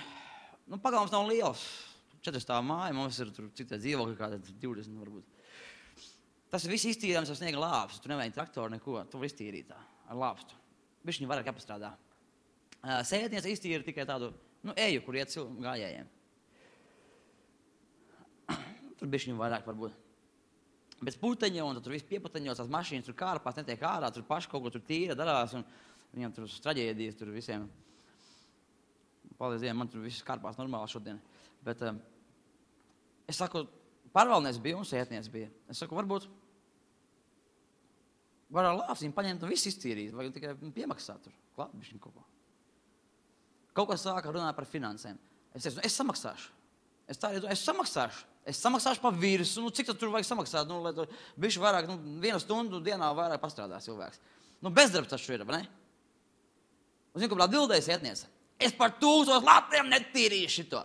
nu, pagalms nav liels. Četras tā māja, mums ir tur citai dzīvokļi, kādā divdesmit varbūt. Tas viss iztīrāms ar sniega lāpstu. Tu nevajag traktoru neko. Tu var iztīrīt tā ar lāpstu. Bišķiņi vairāk jāpastrādā. Sētniece iztīra tikai tādu, nu, eju, kur iet gājējiem. Tur bišķiņi vairāk varbūt. Bez puteņa, un tur viss pieputeņos, tās mašīnas tur kārpās, netiek ārā, tur paši kaut ko tur tīra darās, un viņam tur traģēdijas tur visiem. Paldies Dievam, man tur viss kārpās normāli šodien. Bet um, es saku, pārvaldnieks bija un sētnieks bija. Es saku, varbūt var ar lāpstīm paņemt un viss iztīrīt, vai tikai piemaksāt tur, klāt bišķiņ kaut ko. Kaut ko sāka runāt par finansēm. Es teicu, es samaksāšu. Es tā arī domāju, es samaksāšu. Es samaksāšu pa virsu, nu cik tad tur vajag samaksāt, nu, lai tur bišķi vairāk, nu, vienu stundu dienā vairāk pastrādā cilvēks. Nu, bezdarbs taču ir, vai ne? Un zinu, ka atbildēja sētniece. Es par tūkstoš latiem netīrīšu šito.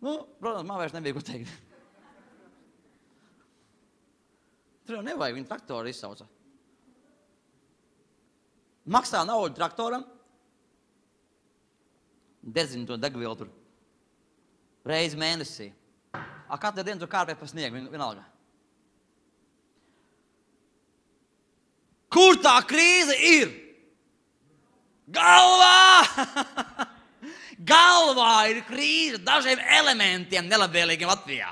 Nu, protams, man vairs nebija ko teikt. Tur jau nevajag, viņa traktoru izsauca. Maksā naudu traktoram, dedzina to degvielu tur reizi mēnesī. A katru dienu tur kārpē pa sniegu, vienalga. Kur tā krīze ir? Galvā! Galvā ir krīze dažiem elementiem nelabvēlīgiem Latvijā.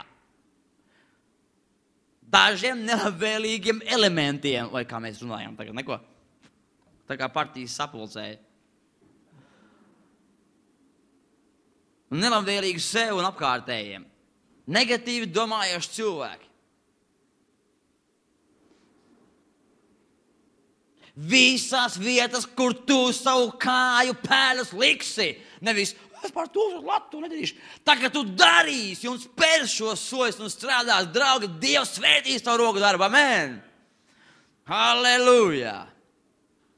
Dažiem nelabvēlīgiem elementiem, vai kā mēs runājam tagad, neko? Tā kā partijas sapulcēja. Nelabvēlīgi sev un apkārtējiem. Negatīvi domājoši cilvēki. Visās vietas, kur tu savu kāju pēdas liksi. Nevis, es par to latu nedarīšu. Tā kā tu darīsi un spērs šos soļus un strādās, draugi, Dievs svētīs tavu roku darbu. Amen. Halleluja.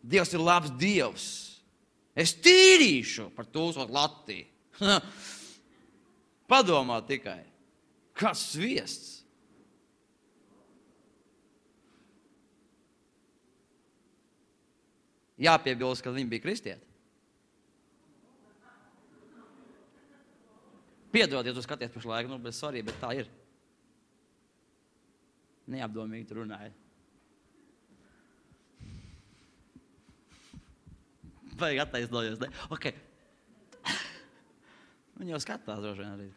Dievs ir labs Dievs. Es tīrīšu par tūkstoš latī. Padomā tikai. Kas sviests? Jāpiebilst, ka viņi bija kristieti. Piedod, ja tu skaties pašlaik, nu, bet sorry, bet tā ir. Neapdomīgi tu runāji. Vajag attaisnojos, ne? Ok. Viņi jau skatās droši vien arī.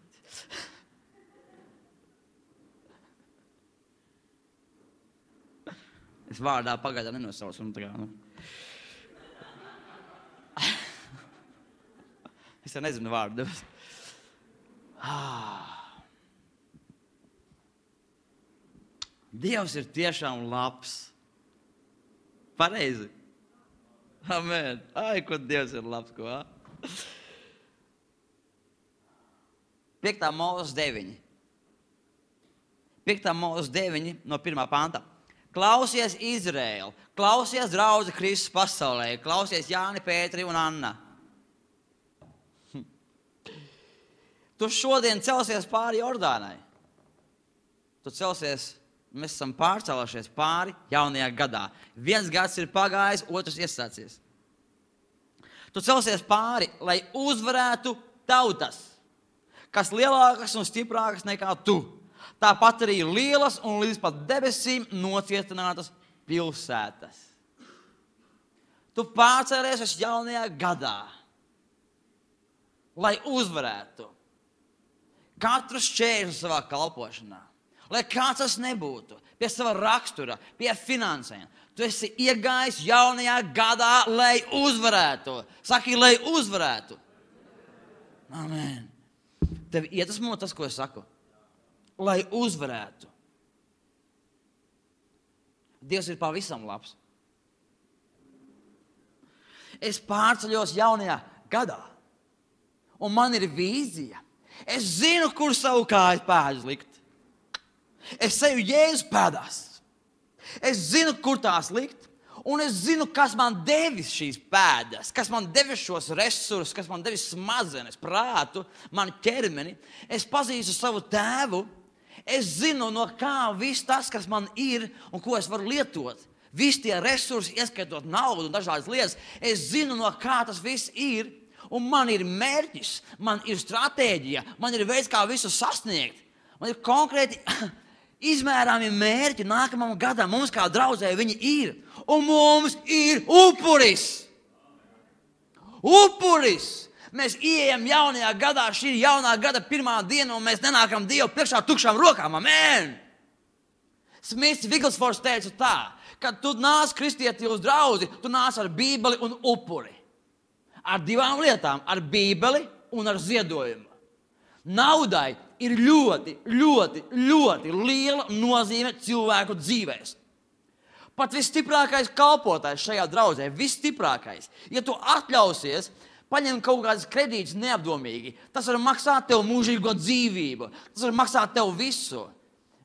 Es vārdā pagaidā nenosaucu. Nu, tā kā, nu. Es jau nezinu vārdu. Ah. Dievs ir tiešām labs. Pareizi. Amen. Ai, ko Dievs ir labs, ko? Piektā Mūzes deviņi. Piektā Mūzes deviņi no pirmā panta. Klausies Izraēlu, klausies draudze Kristus pasaulē, klausies Jāni, Pēteri un Anna. Tu šodien celsies pāri Jordānai. Tu celsies, mēs esam pārcēlušies pāri jaunajā gadā. Viens gads ir pagājis, otrs iesācies. Tu celsies pāri, lai uzvarētu tautas, kas lielākas un stiprākas nekā tu. Tāpat arī lielas un līdz pat debesīm nocietinātas pilsētas. Tu pārcēlies uz jaunajā gadā, lai uzvarētu katru šķēršļu savā kalpošanā. Lai kāds tas nebūtu, pie sava rakstura, pie finansēm. Tu esi iegājis jaunajā gadā, lai uzvarētu. Saki, lai uzvarētu. Amen. Tev iedvesmo tas, ko es saku. Lai uzvarētu. Dievs ir pavisam labs. Es pārceļos jaunajā gadā, un man ir vīzija. Es zinu, kur savu kāju pēdus likt. Es seju Jēzus pēdās. Es zinu, kur tās likt. Un es zinu, kas man devis šīs pēdas, kas man devis šos resursus, kas man devis smadzenes, prātu, manu ķermeni. Es pazīstu savu tēvu. Es zinu, no kā viss tas, kas man ir un ko es varu lietot. Visi tie resursi, ieskaitot naudu un dažādas lietas. Es zinu, no kā tas viss ir. Un man ir mērķis, man ir stratēģija, man ir veids, kā visu sasniegt. Man ir konkrēti izmērāmi mērķi nākamam gadam. Mums kā draudzē viņi ir. Un mums ir upuris. Upuris. Mēs ieejam jaunajā gadā, šī ir jaunā gada pirmā diena, un mēs nenākam Dievu priekšā tukšām rokām. Amen! Smits Viglsfors teica tā, kad tu nāc kristieti uz draudzi, tu nāc ar bībeli un upuri. Ar divām lietām, ar bībeli un ar ziedojumu. Naudai ir ļoti, ļoti, ļoti liela nozīme cilvēku dzīvēs. Pat visstiprākais kalpotājs šajā draudzē, visstiprākais, ja tu atļausies paņemt kaut kādas kredītas neapdomīgi, tas var maksāt tev mūžīgo dzīvību, tas var maksāt tev visu.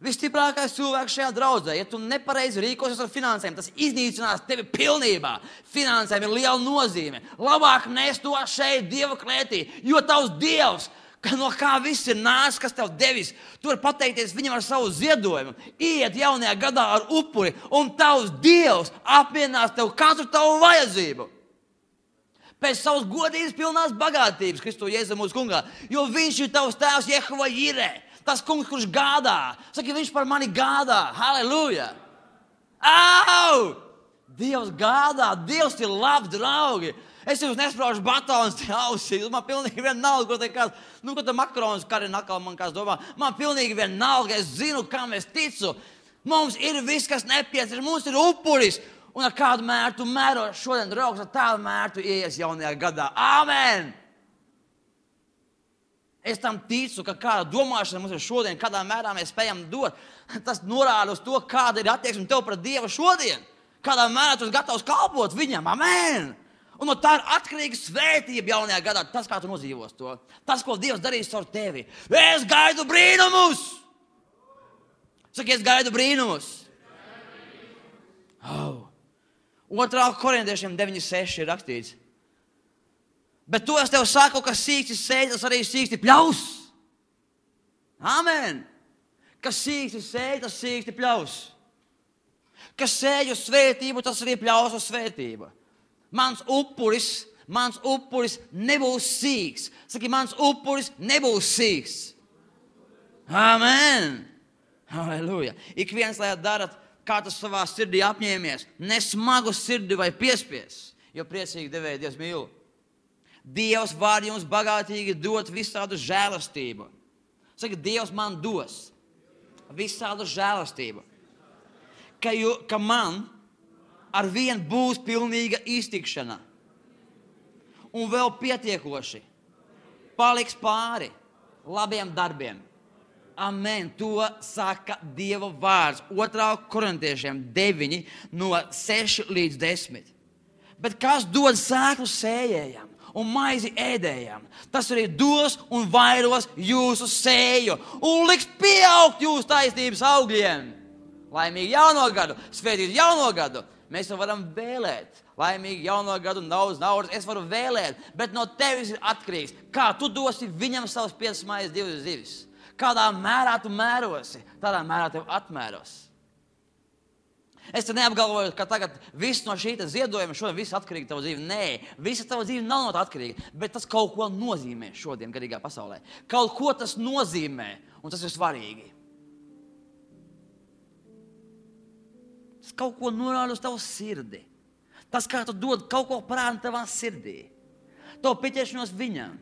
Visstiprākais cilvēks šajā draudzē, ja tu nepareizi rīkosies ar finansēm, tas iznīcinās tevi pilnībā. Finansēm ir liela nozīme. Labāk nes to šeit Dieva klētī, jo tavs Dievs, no kā viss ir nācis, kas tev devis, tu vari pateikties viņam ar savu ziedojumu, iet jaunajā gadā ar upuri, un tavs Dievs apmierinās tev katru tavu vajadzību. Pēc savas godības pilnās bagātības, Kristu Jēzu mūsu kungā, jo viņš ir tavs tēvs Jehova Jirē. Tas kungs, kurš gādā. Saki, viņš par mani gādā. Halleluja! Au! Dievs gādā. Dievs ir labs, draugi. Es jums nespraužu batonus te ausīs. Man pilnīgi vienalga, ko te kāds, nu, ko te makaronus karina atkal man kāds domā. Man pilnīgi vienalga. Es zinu, kam es ticu. Mums ir viss, kas nepieciešams. Mums ir upuris. Un ar kādu mērtu mēro šodien, draugs, ar tādu mērtu ieies jaunajā gadā. Amen! Es tam ticu, ka kāda domāšana mums ir šodien, kādā mērā mēs spējam dot. Tas norāda uz to, kāda ir attieksme tev pret Dievu šodien. Kādā mērā tu esi gatavs kalpot viņam. Amen! Un no tā ir atkarīga svētība jaunajā gadā. Tas, kā tu nodzīvos to. Tas, ko Dievs darīs ar tevi. Es gaidu brīnumus! Saki, es gaidu brīnumus! Oh. Otrā Korintiešiem deviņi seši ir rakstīts. Bet to es tev saku, ka sīksti sēž, tas arī sīksti pļaus. Amen. Kas sīksti sēž, tas sīksti pļaus. Kas sēž uz svētību, tas arī pļaus uz svētību. Mans upuris, mans upuris nebūs sīks. Saki, mans upuris nebūs sīks. Amen. Halleluja. Ik viens, lai darat, kā tas savā sirdī apņēmies. Nesmagu sirdi vai piespies, jo priecīgi devēja Dievs mīl. Dievs var jums bagātīgi dot visādu žēlastību. Saka, Dievs man dos visādu žēlastību. Ka, ju, ka man ar vien būs pilnīga iztikšana. Un vēl pietiekoši paliks pāri labiem darbiem. Amen. To saka Dieva vārds. Otrā korintiešiem deviņi no seši līdz desmit. Bet kas dod sēklu sējējam un maizi ēdējam, tas arī dos un vairos jūsu sēju un liks pieaugt jūsu taisnības augļiem. Laimīgi jauno gadu, svētīt jauno gadu. Mēs to varam vēlēt. Laimīgi jauno gadu, daudz naudas, es varu vēlēt, bet no tevis ir atkarīgs. Kā tu dosi viņam savus piecas maizes, divas zivis? Kādā mērā tu mērosi, tādā mērā tev atmēros. Es te neapgalvoju, ka tagad viss no šī ziedojuma šodien viss atkarīgi tava dzīve. Nē, visa tava dzīve nav no tā atkarīga, bet tas kaut ko nozīmē šodien garīgā pasaulē. Kaut ko tas nozīmē, un tas ir svarīgi. Tas kaut ko norāda uz tavu sirdi. Tas, kā tu dod, kaut ko parāda tavā sirdī. Tavu pieķeršanos viņam.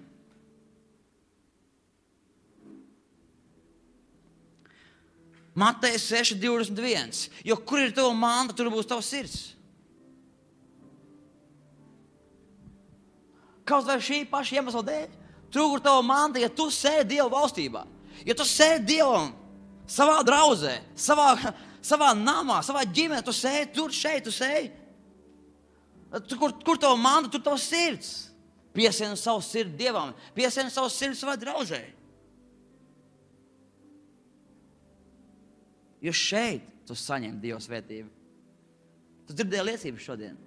Mateja seši divdesmit viens. Jo kur ir tava manta, tur būs tavs sirds. Kaut vai šī paša iemesla dēļ. Tur, kur tava manta, ja tu sēdi Dieva valstībā, ja tu sēdi Dievam savā draudzē, savā, savā namā, savā ģimenē, tu sēdi tur, šeit, tu sēdi. Kur, kur tava manta, tur tavs sirds. Piesien savu sirdi Dievam, piesien savu sirdi savā draudzē. Jo šeit tu saņem Dieva svētību. Tu dzirdēji liecības šodien.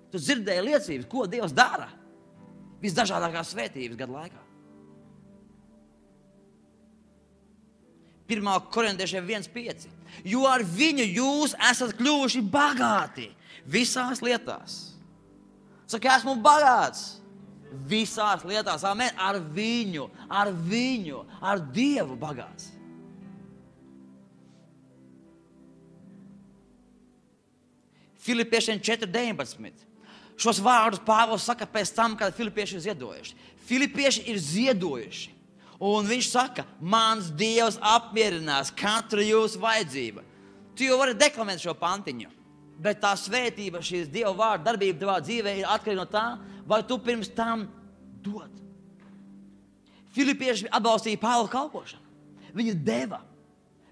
Tu dzirdēji liecības, ko Dievs dara. Visdažādākās svētības gadu laikā. pirmā korintiešiem viens pieci. Jo ar viņu jūs esat kļuvuši bagāti visās lietās. Saka, esmu bagāts visās lietās. Amen. Ar viņu, ar viņu, ar Dievu bagāts. Filipiešiem četri deviņpadsmit. Šos vārdus Pāvils saka pēc tam, kad filipieši ir ziedojuši. Filipieši ir ziedojuši. Un viņš saka, mans Dievs apmierinās katru jūsu vajadzību. Tu jau vari deklamēt šo pantiņu. Bet tā svētība, šīs Dieva vārda darbība tavā dzīvē ir atkarīga no tā, vai tu pirms tam dod. Filipieši atbalstīja Pāvila kalpošanu. Viņi deva.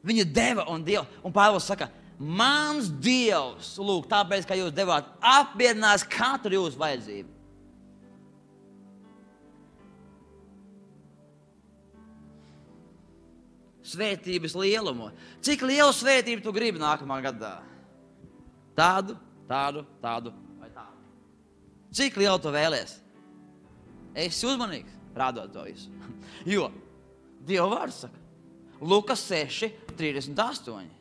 Viņi deva un Dieva. Un Pāvils saka, mans Dievs, lūk, tāpēc, ka jūs devāt, apmierinās katru jūsu vajadzību. Svētības lielumu. Cik lielu svētību tu gribi nākamā gadā? Tādu, tādu, tādu vai tādu. Cik lielu tu vēlies? Esi uzmanīgs, rādot to visu. Jo Dieva vārds saka, Lukas seši trīsdesmit astoņi.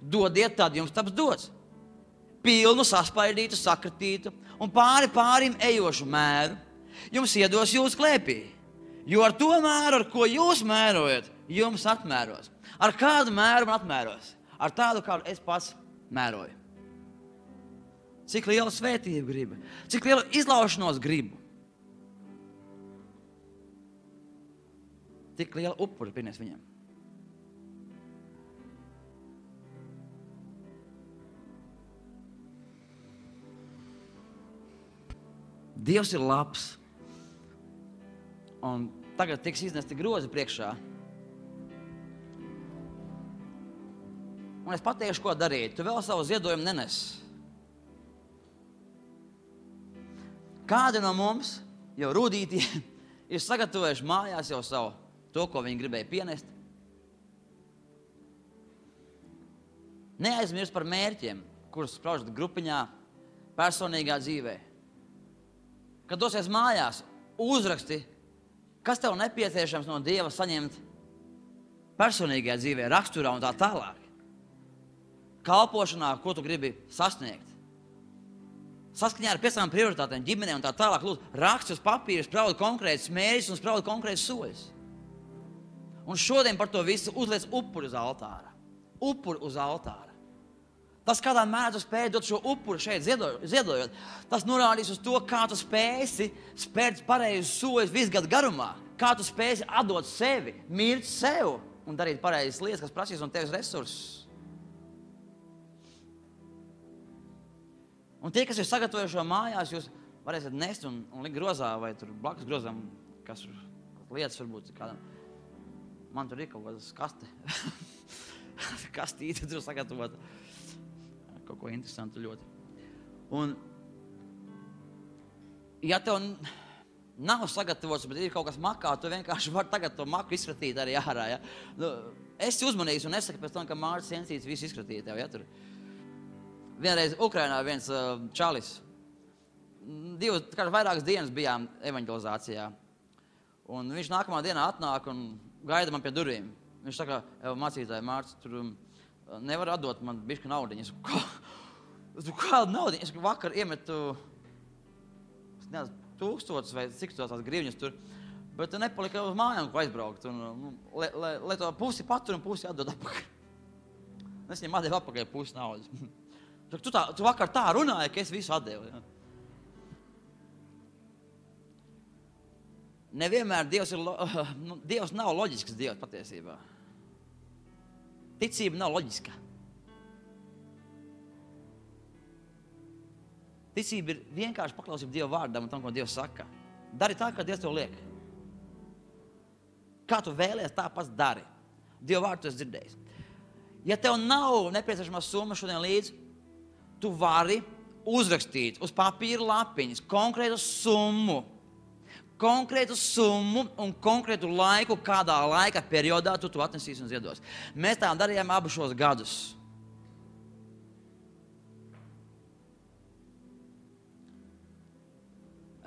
Dodiet, tad jums taps dots. Pilnu, saspaidītu, sakritītu un pāri pārim ejošu mēru jums iedos jūsu klēpī. Jo ar to mēru, ar ko jūs mērojat, jums atmēros. Ar kādu mēru man atmēros? Ar tādu, kādu es pats mēroju. Cik lielu svētību gribu? Cik lielu izlaušanos gribu? Tik lielu upuri pienes viņam. Dievs ir labs. Un tagad tiks iznesti grozi priekšā. Un es pateikšu, ko darīt. Tu vēl savu ziedojumu nenes. Kādi no mums jau rūdītie ir sagatavojuši mājās jau savu to, ko viņi gribēja pienest. Neaizmirst par mērķiem, kurus spraužat grupiņā, personīgā dzīvē. Kad dosies mājās, uzraksti, kas tev nepieciešams no Dieva saņemt personīgajā dzīvē, raksturā un tā tālāk. Kalpošanā, ko tu gribi sasniegt. Saskaņā ar piecām prioritātēm, ģimenē un tā tālāk, lūdzu, raksti uz papīra, spraudi konkrētus mērķus un spraudi konkrētus soļus. Un šodien par to visu uzliec upuri uz altāra. Upuri uz altāra. Tas, kādā mērā tu spēj dot šo upuri šeit ziedojot, tas norādīs uz to, kā tu spēsi spērt pareizus soļus visu gadu garumā. Kā tu spēsi atdot sevi, mirt sev un darīt pareizas lietas, kas prasīs no tevis resursus. Un tie, kas ir sagatavojuši šo mājās, jūs varēsiet nest un, un likt grozā vai tur blakus grozam, kas lietas varbūt kādam. Man tur ir kaut kādas kaste. Kastīte tur sagatavot. Kaut ko interesantu ļoti. Un, ja tev nav sagatavots, bet ir kaut kas makā, tu vienkārši vari tagad to maku izskatīt arī ārā, ja? Nu, esi uzmanīgs un nesaki pēc tam, ka Mārcis Jensīts visu izskatīja tev, ja tur. Vienreiz Ukrainā viens uh, čalis. Divas, kāds vairākas dienas bijām evaņģelizācijā. Un viņš nākamā dienā atnāk un gaida man pie durvīm. Viņš saka, mācītāji, Mārcis, tur nevar atdot man bišķi naudiņu. Es saku, kā? Kādu naudiņu? Es saku, vakar iemetu, es nezinu, tūkstotis vai cik tos tās grivņas tur, bet nepalika uz mājām, ko aizbraukt. Un, lai, lai, lai to pusi patur un pusi atdod apakaļ. Es viņam atdevu apakaļ pusi naudas. Tu, tā, tu vakar tā runāji, ka es visu atdevu. Ja? Nevienmēr Dievs, ir, nu, Dievs nav loģisks Dievs patiesībā. Ticība nav loģiska. Ticība ir vienkārši paklausība Dieva vārdam un tam, ko Dievs saka. Dari tā, kā Dievs tev liek. Kā tu vēlies, tā pats dari. Dieva vārdu tu esi dzirdējis. Ja tev nav nepieciešamā summa šodien līdz, tu vari uzrakstīt uz papīra lapiņas konkrētu summu, konkrētu summu un konkrētu laiku, kādā laika periodā tu to atnesīsi un ziedos. Mēs tā darījām abu šos gadus.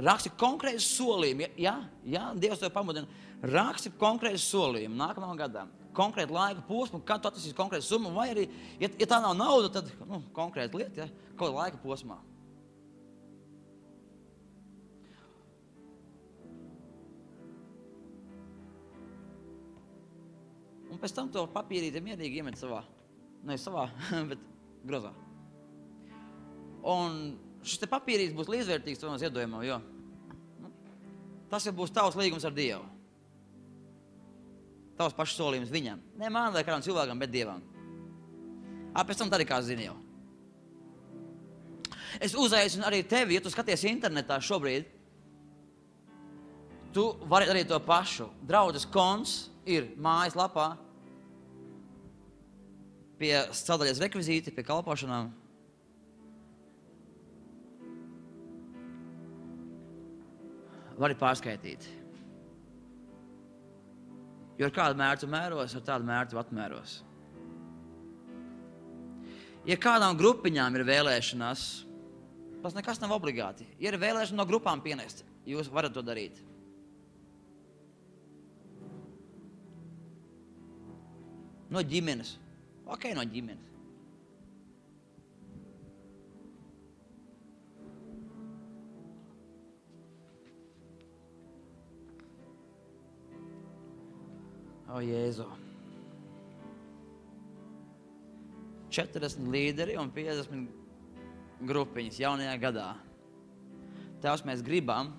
Raksti konkrētu solījumu. Jā, jā, Dievs tev pamudina. Raksti konkrētu solījumu nākamajam gadam. Konkrētu laiku posmu, kad tu atnesīsi konkrētu summu, vai arī, ja, ja tā nav nauda, tad nu, konkrēta lieta, ja, kaut kādā laika posmā. Un pēc tam to papīrīti mierīgi iemet savā, ne savā, bet grozā. Un šis te papīrītis būs līdzvērtīgs tavam ziedojumam, jo nu, tas jau būs tavs līgums ar Dievu. Tavs pašs solījums viņam. Ne man vai kādam cilvēkam, bet Dievam. Ā, pēc tam tā arī kā zini jau. Es uzaicinu arī tevi, ja tu skaties internetā šobrīd, tu vari darīt to pašu. Draudzes konts ir mājas lapā pie sadaļas rekvizīti, pie kalpošanām. Vari pārskaitīt. Jo ar kādu mērķu mēros, ar tādu mērķu atmēros. Ja kādām grupiņām ir vēlēšanās, tas nekas nav obligāti. Ja ir vēlēšana no grupām pienest, jūs varat to darīt. No ģimenes. Ok, no ģimenes. O, Jēzu. četrdesmit līderi un piecdesmit grupiņas jaunajā gadā. Tēvs, mēs gribam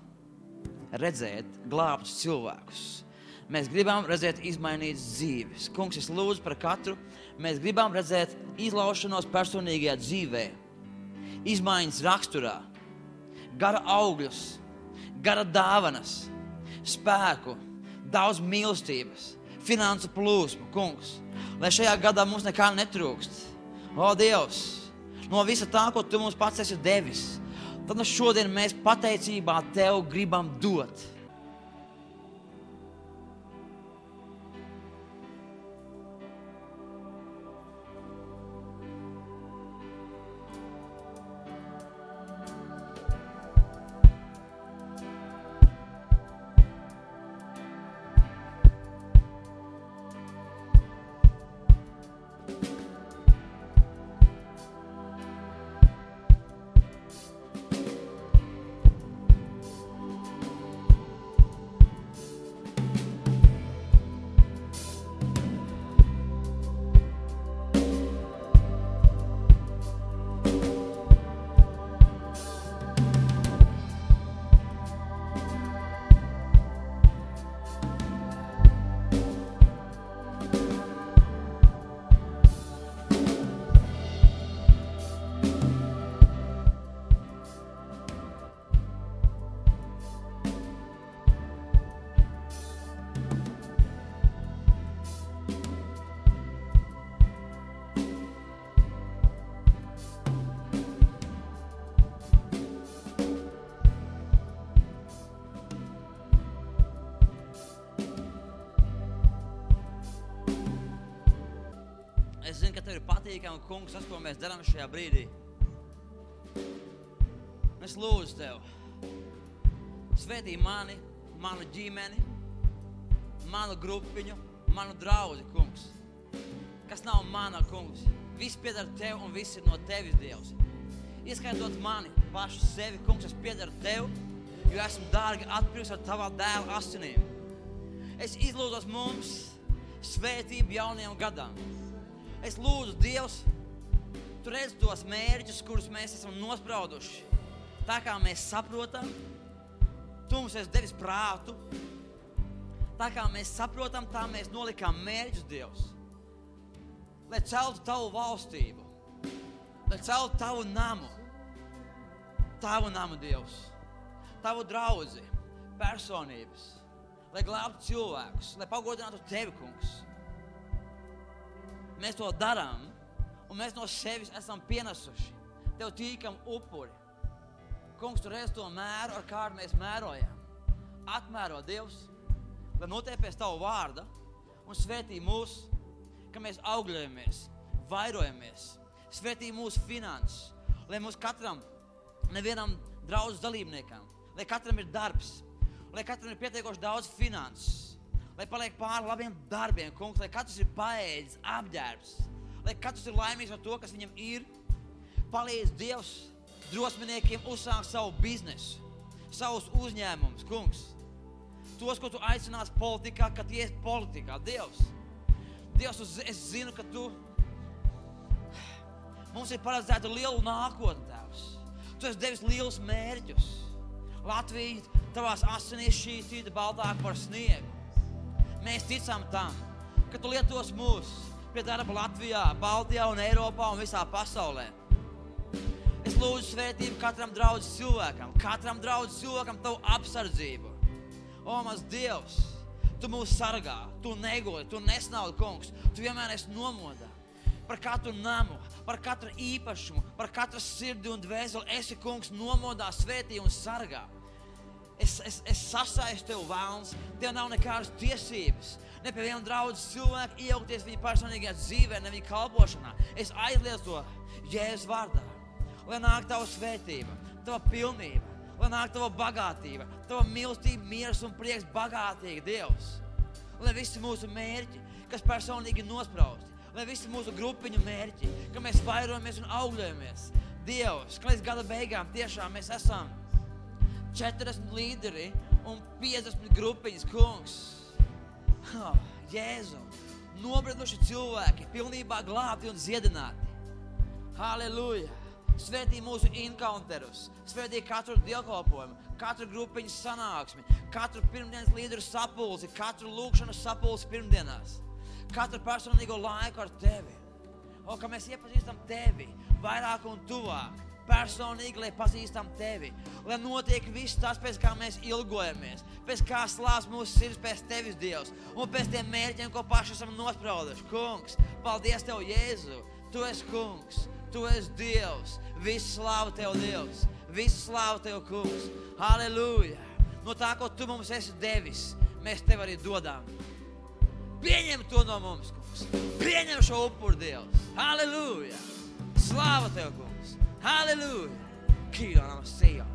redzēt glābtus cilvēkus. Mēs gribam redzēt izmainītas dzīves. Kungs, es lūdzu par katru. Mēs gribam redzēt izlaušanos personīgajā dzīvē. Izmaiņas raksturā. Gara augļus. Gara dāvanas. Spēku. Daudz mīlestības. Finansu plūsmu, kungs. Lai šajā gadā mums nekā netrūkst. O, Dievs, no visa tā, ko tu mums pats esi devis, tad šodien mēs pateicībā tev gribam dot. tev ir patīkami, kungs, tas, ko mēs darām šajā brīdī. Es lūdzu tev, svētī mani, manu ģimeni, manu grupiņu, manu draudzi, kungs. Kas nav mana, kungs. Viss piedara tev un viss ir no tevis, Dievs. Ieskaitot mani, pašu sevi, kungs, es piedaru tev, jo esmu dārgi atpirkts ar tavā dēla asinīm. Es izlūdzos mums svētību jaunajam gadam. Es lūdzu, Dievs, tu redz tos mērķus, kurus mēs esam nosprauduši. Tā kā mēs saprotam, tu mums esi devis prātu. Tā kā mēs saprotam, tā mēs nolikām mērķus, Dievs. Lai celtu tavu valstību, lai celtu tavu namu, tavu namu, Dievs, tavu draudzi, personības, lai glābtu cilvēkus, lai pagodinātu tevi, kungs. Mēs to darām, un mēs no sevis esam pienesuši. Tev tīkam upuri. Kungs, tu reiz to mēru, ar kādu mēs mērojam. Atmēro, Dievs, lai notiek pēc tavu vārda un svētī mūs, ka mēs augļojamies, vairojamies, svētī mūsu finanses, lai mūs katram, nevienam draudzes dalībniekam, lai katram ir darbs, lai katram ir pietiekoši daudz finanses, lai paliek pāri labiem darbiem, kungs, lai katrs ir paēdis, apģērbs, lai katrs ir laimīgs ar to, kas viņam ir. Palīdz, Dievs, drosminiekiem uzsākt savu biznesu, savus uzņēmumus, kungs. Tos, ko tu aicinās politikā, kad ies politikā, Dievs. Dievs, es zinu, ka tu mums ir paredzēta liela nākotne, Tēvs. Tu esi devis lielus mērķus. Latvija tavās asinīs šķīstīta baltāk par sniegu. Mēs ticam tam, ka tu lietos mūs pie darba Latvijā, Baltijā un Eiropā un visā pasaulē. Es lūdzu svētību katram draudzes cilvēkam, katram draudzes cilvēkam tavu apsardzību. O, mans Dievs, tu mūs sargā, tu negodi, tu nesnaudi, kungs, tu vienmēr esi nomodā. Par katru namu, par katru īpašumu, par katru sirdi un dvēseli esi, kungs, nomodā, svētī un sargā. Es, es, es sasaistu tev, vēlns, tev nav nekādas tiesības, ne pie viena draudzes cilvēka iejaukties viņa personīgajā dzīvē, ne viņa kalpošanā. Es aizlieku to Jēzus vārdā, lai nāk tava svētība, tava pilnība, lai nāk tava bagātība, tava mīlestība, miers un prieks bagātīgi, Dievs. Lai visi mūsu mērķi, kas personīgi nosprausti, lai visi mūsu grupiņu mērķi, ka mēs vairojamies un augļojamies, Dievs, ka līdz gada beigām tiešām mēs esam četrdesmit līderi un piecdesmit grupiņas, kungs. Oh, Jēzu, nobrieduši cilvēki, pilnībā glābti un dziedināti. Halleluja! Svētī mūsu encounterus, svētī katru dievkalpojumu, katru grupiņu sanāksmi, katru pirmdienas līderu sapulci, katru lūkšanas sapulci pirmdienās, katru personīgo laiku ar tevi. O, ka mēs iepazīstam tevi vairāk un tuvāk, personīgi, lai pazīstam tevi, lai notiek viss tas, pēc kā mēs ilgojamies, pēc kā slāps mūsu sirds pēc tevis, Dievs, un pēc tiem mērķiem, ko paši esam nosprauduši. Kungs, paldies tev, Jēzu, tu esi kungs. Tu esi Dievs, visu slāvu tev, Dievs, visu slāvu tev, kungs. Halleluja! No tā, ko tu mums esi devis, mēs tev arī dodām. Pieņem to no mums, kungs. Pieņem šo upuru, Dievs. Halleluja! Slāva tev, kungs. Halleluja! Kīrā nama sejā.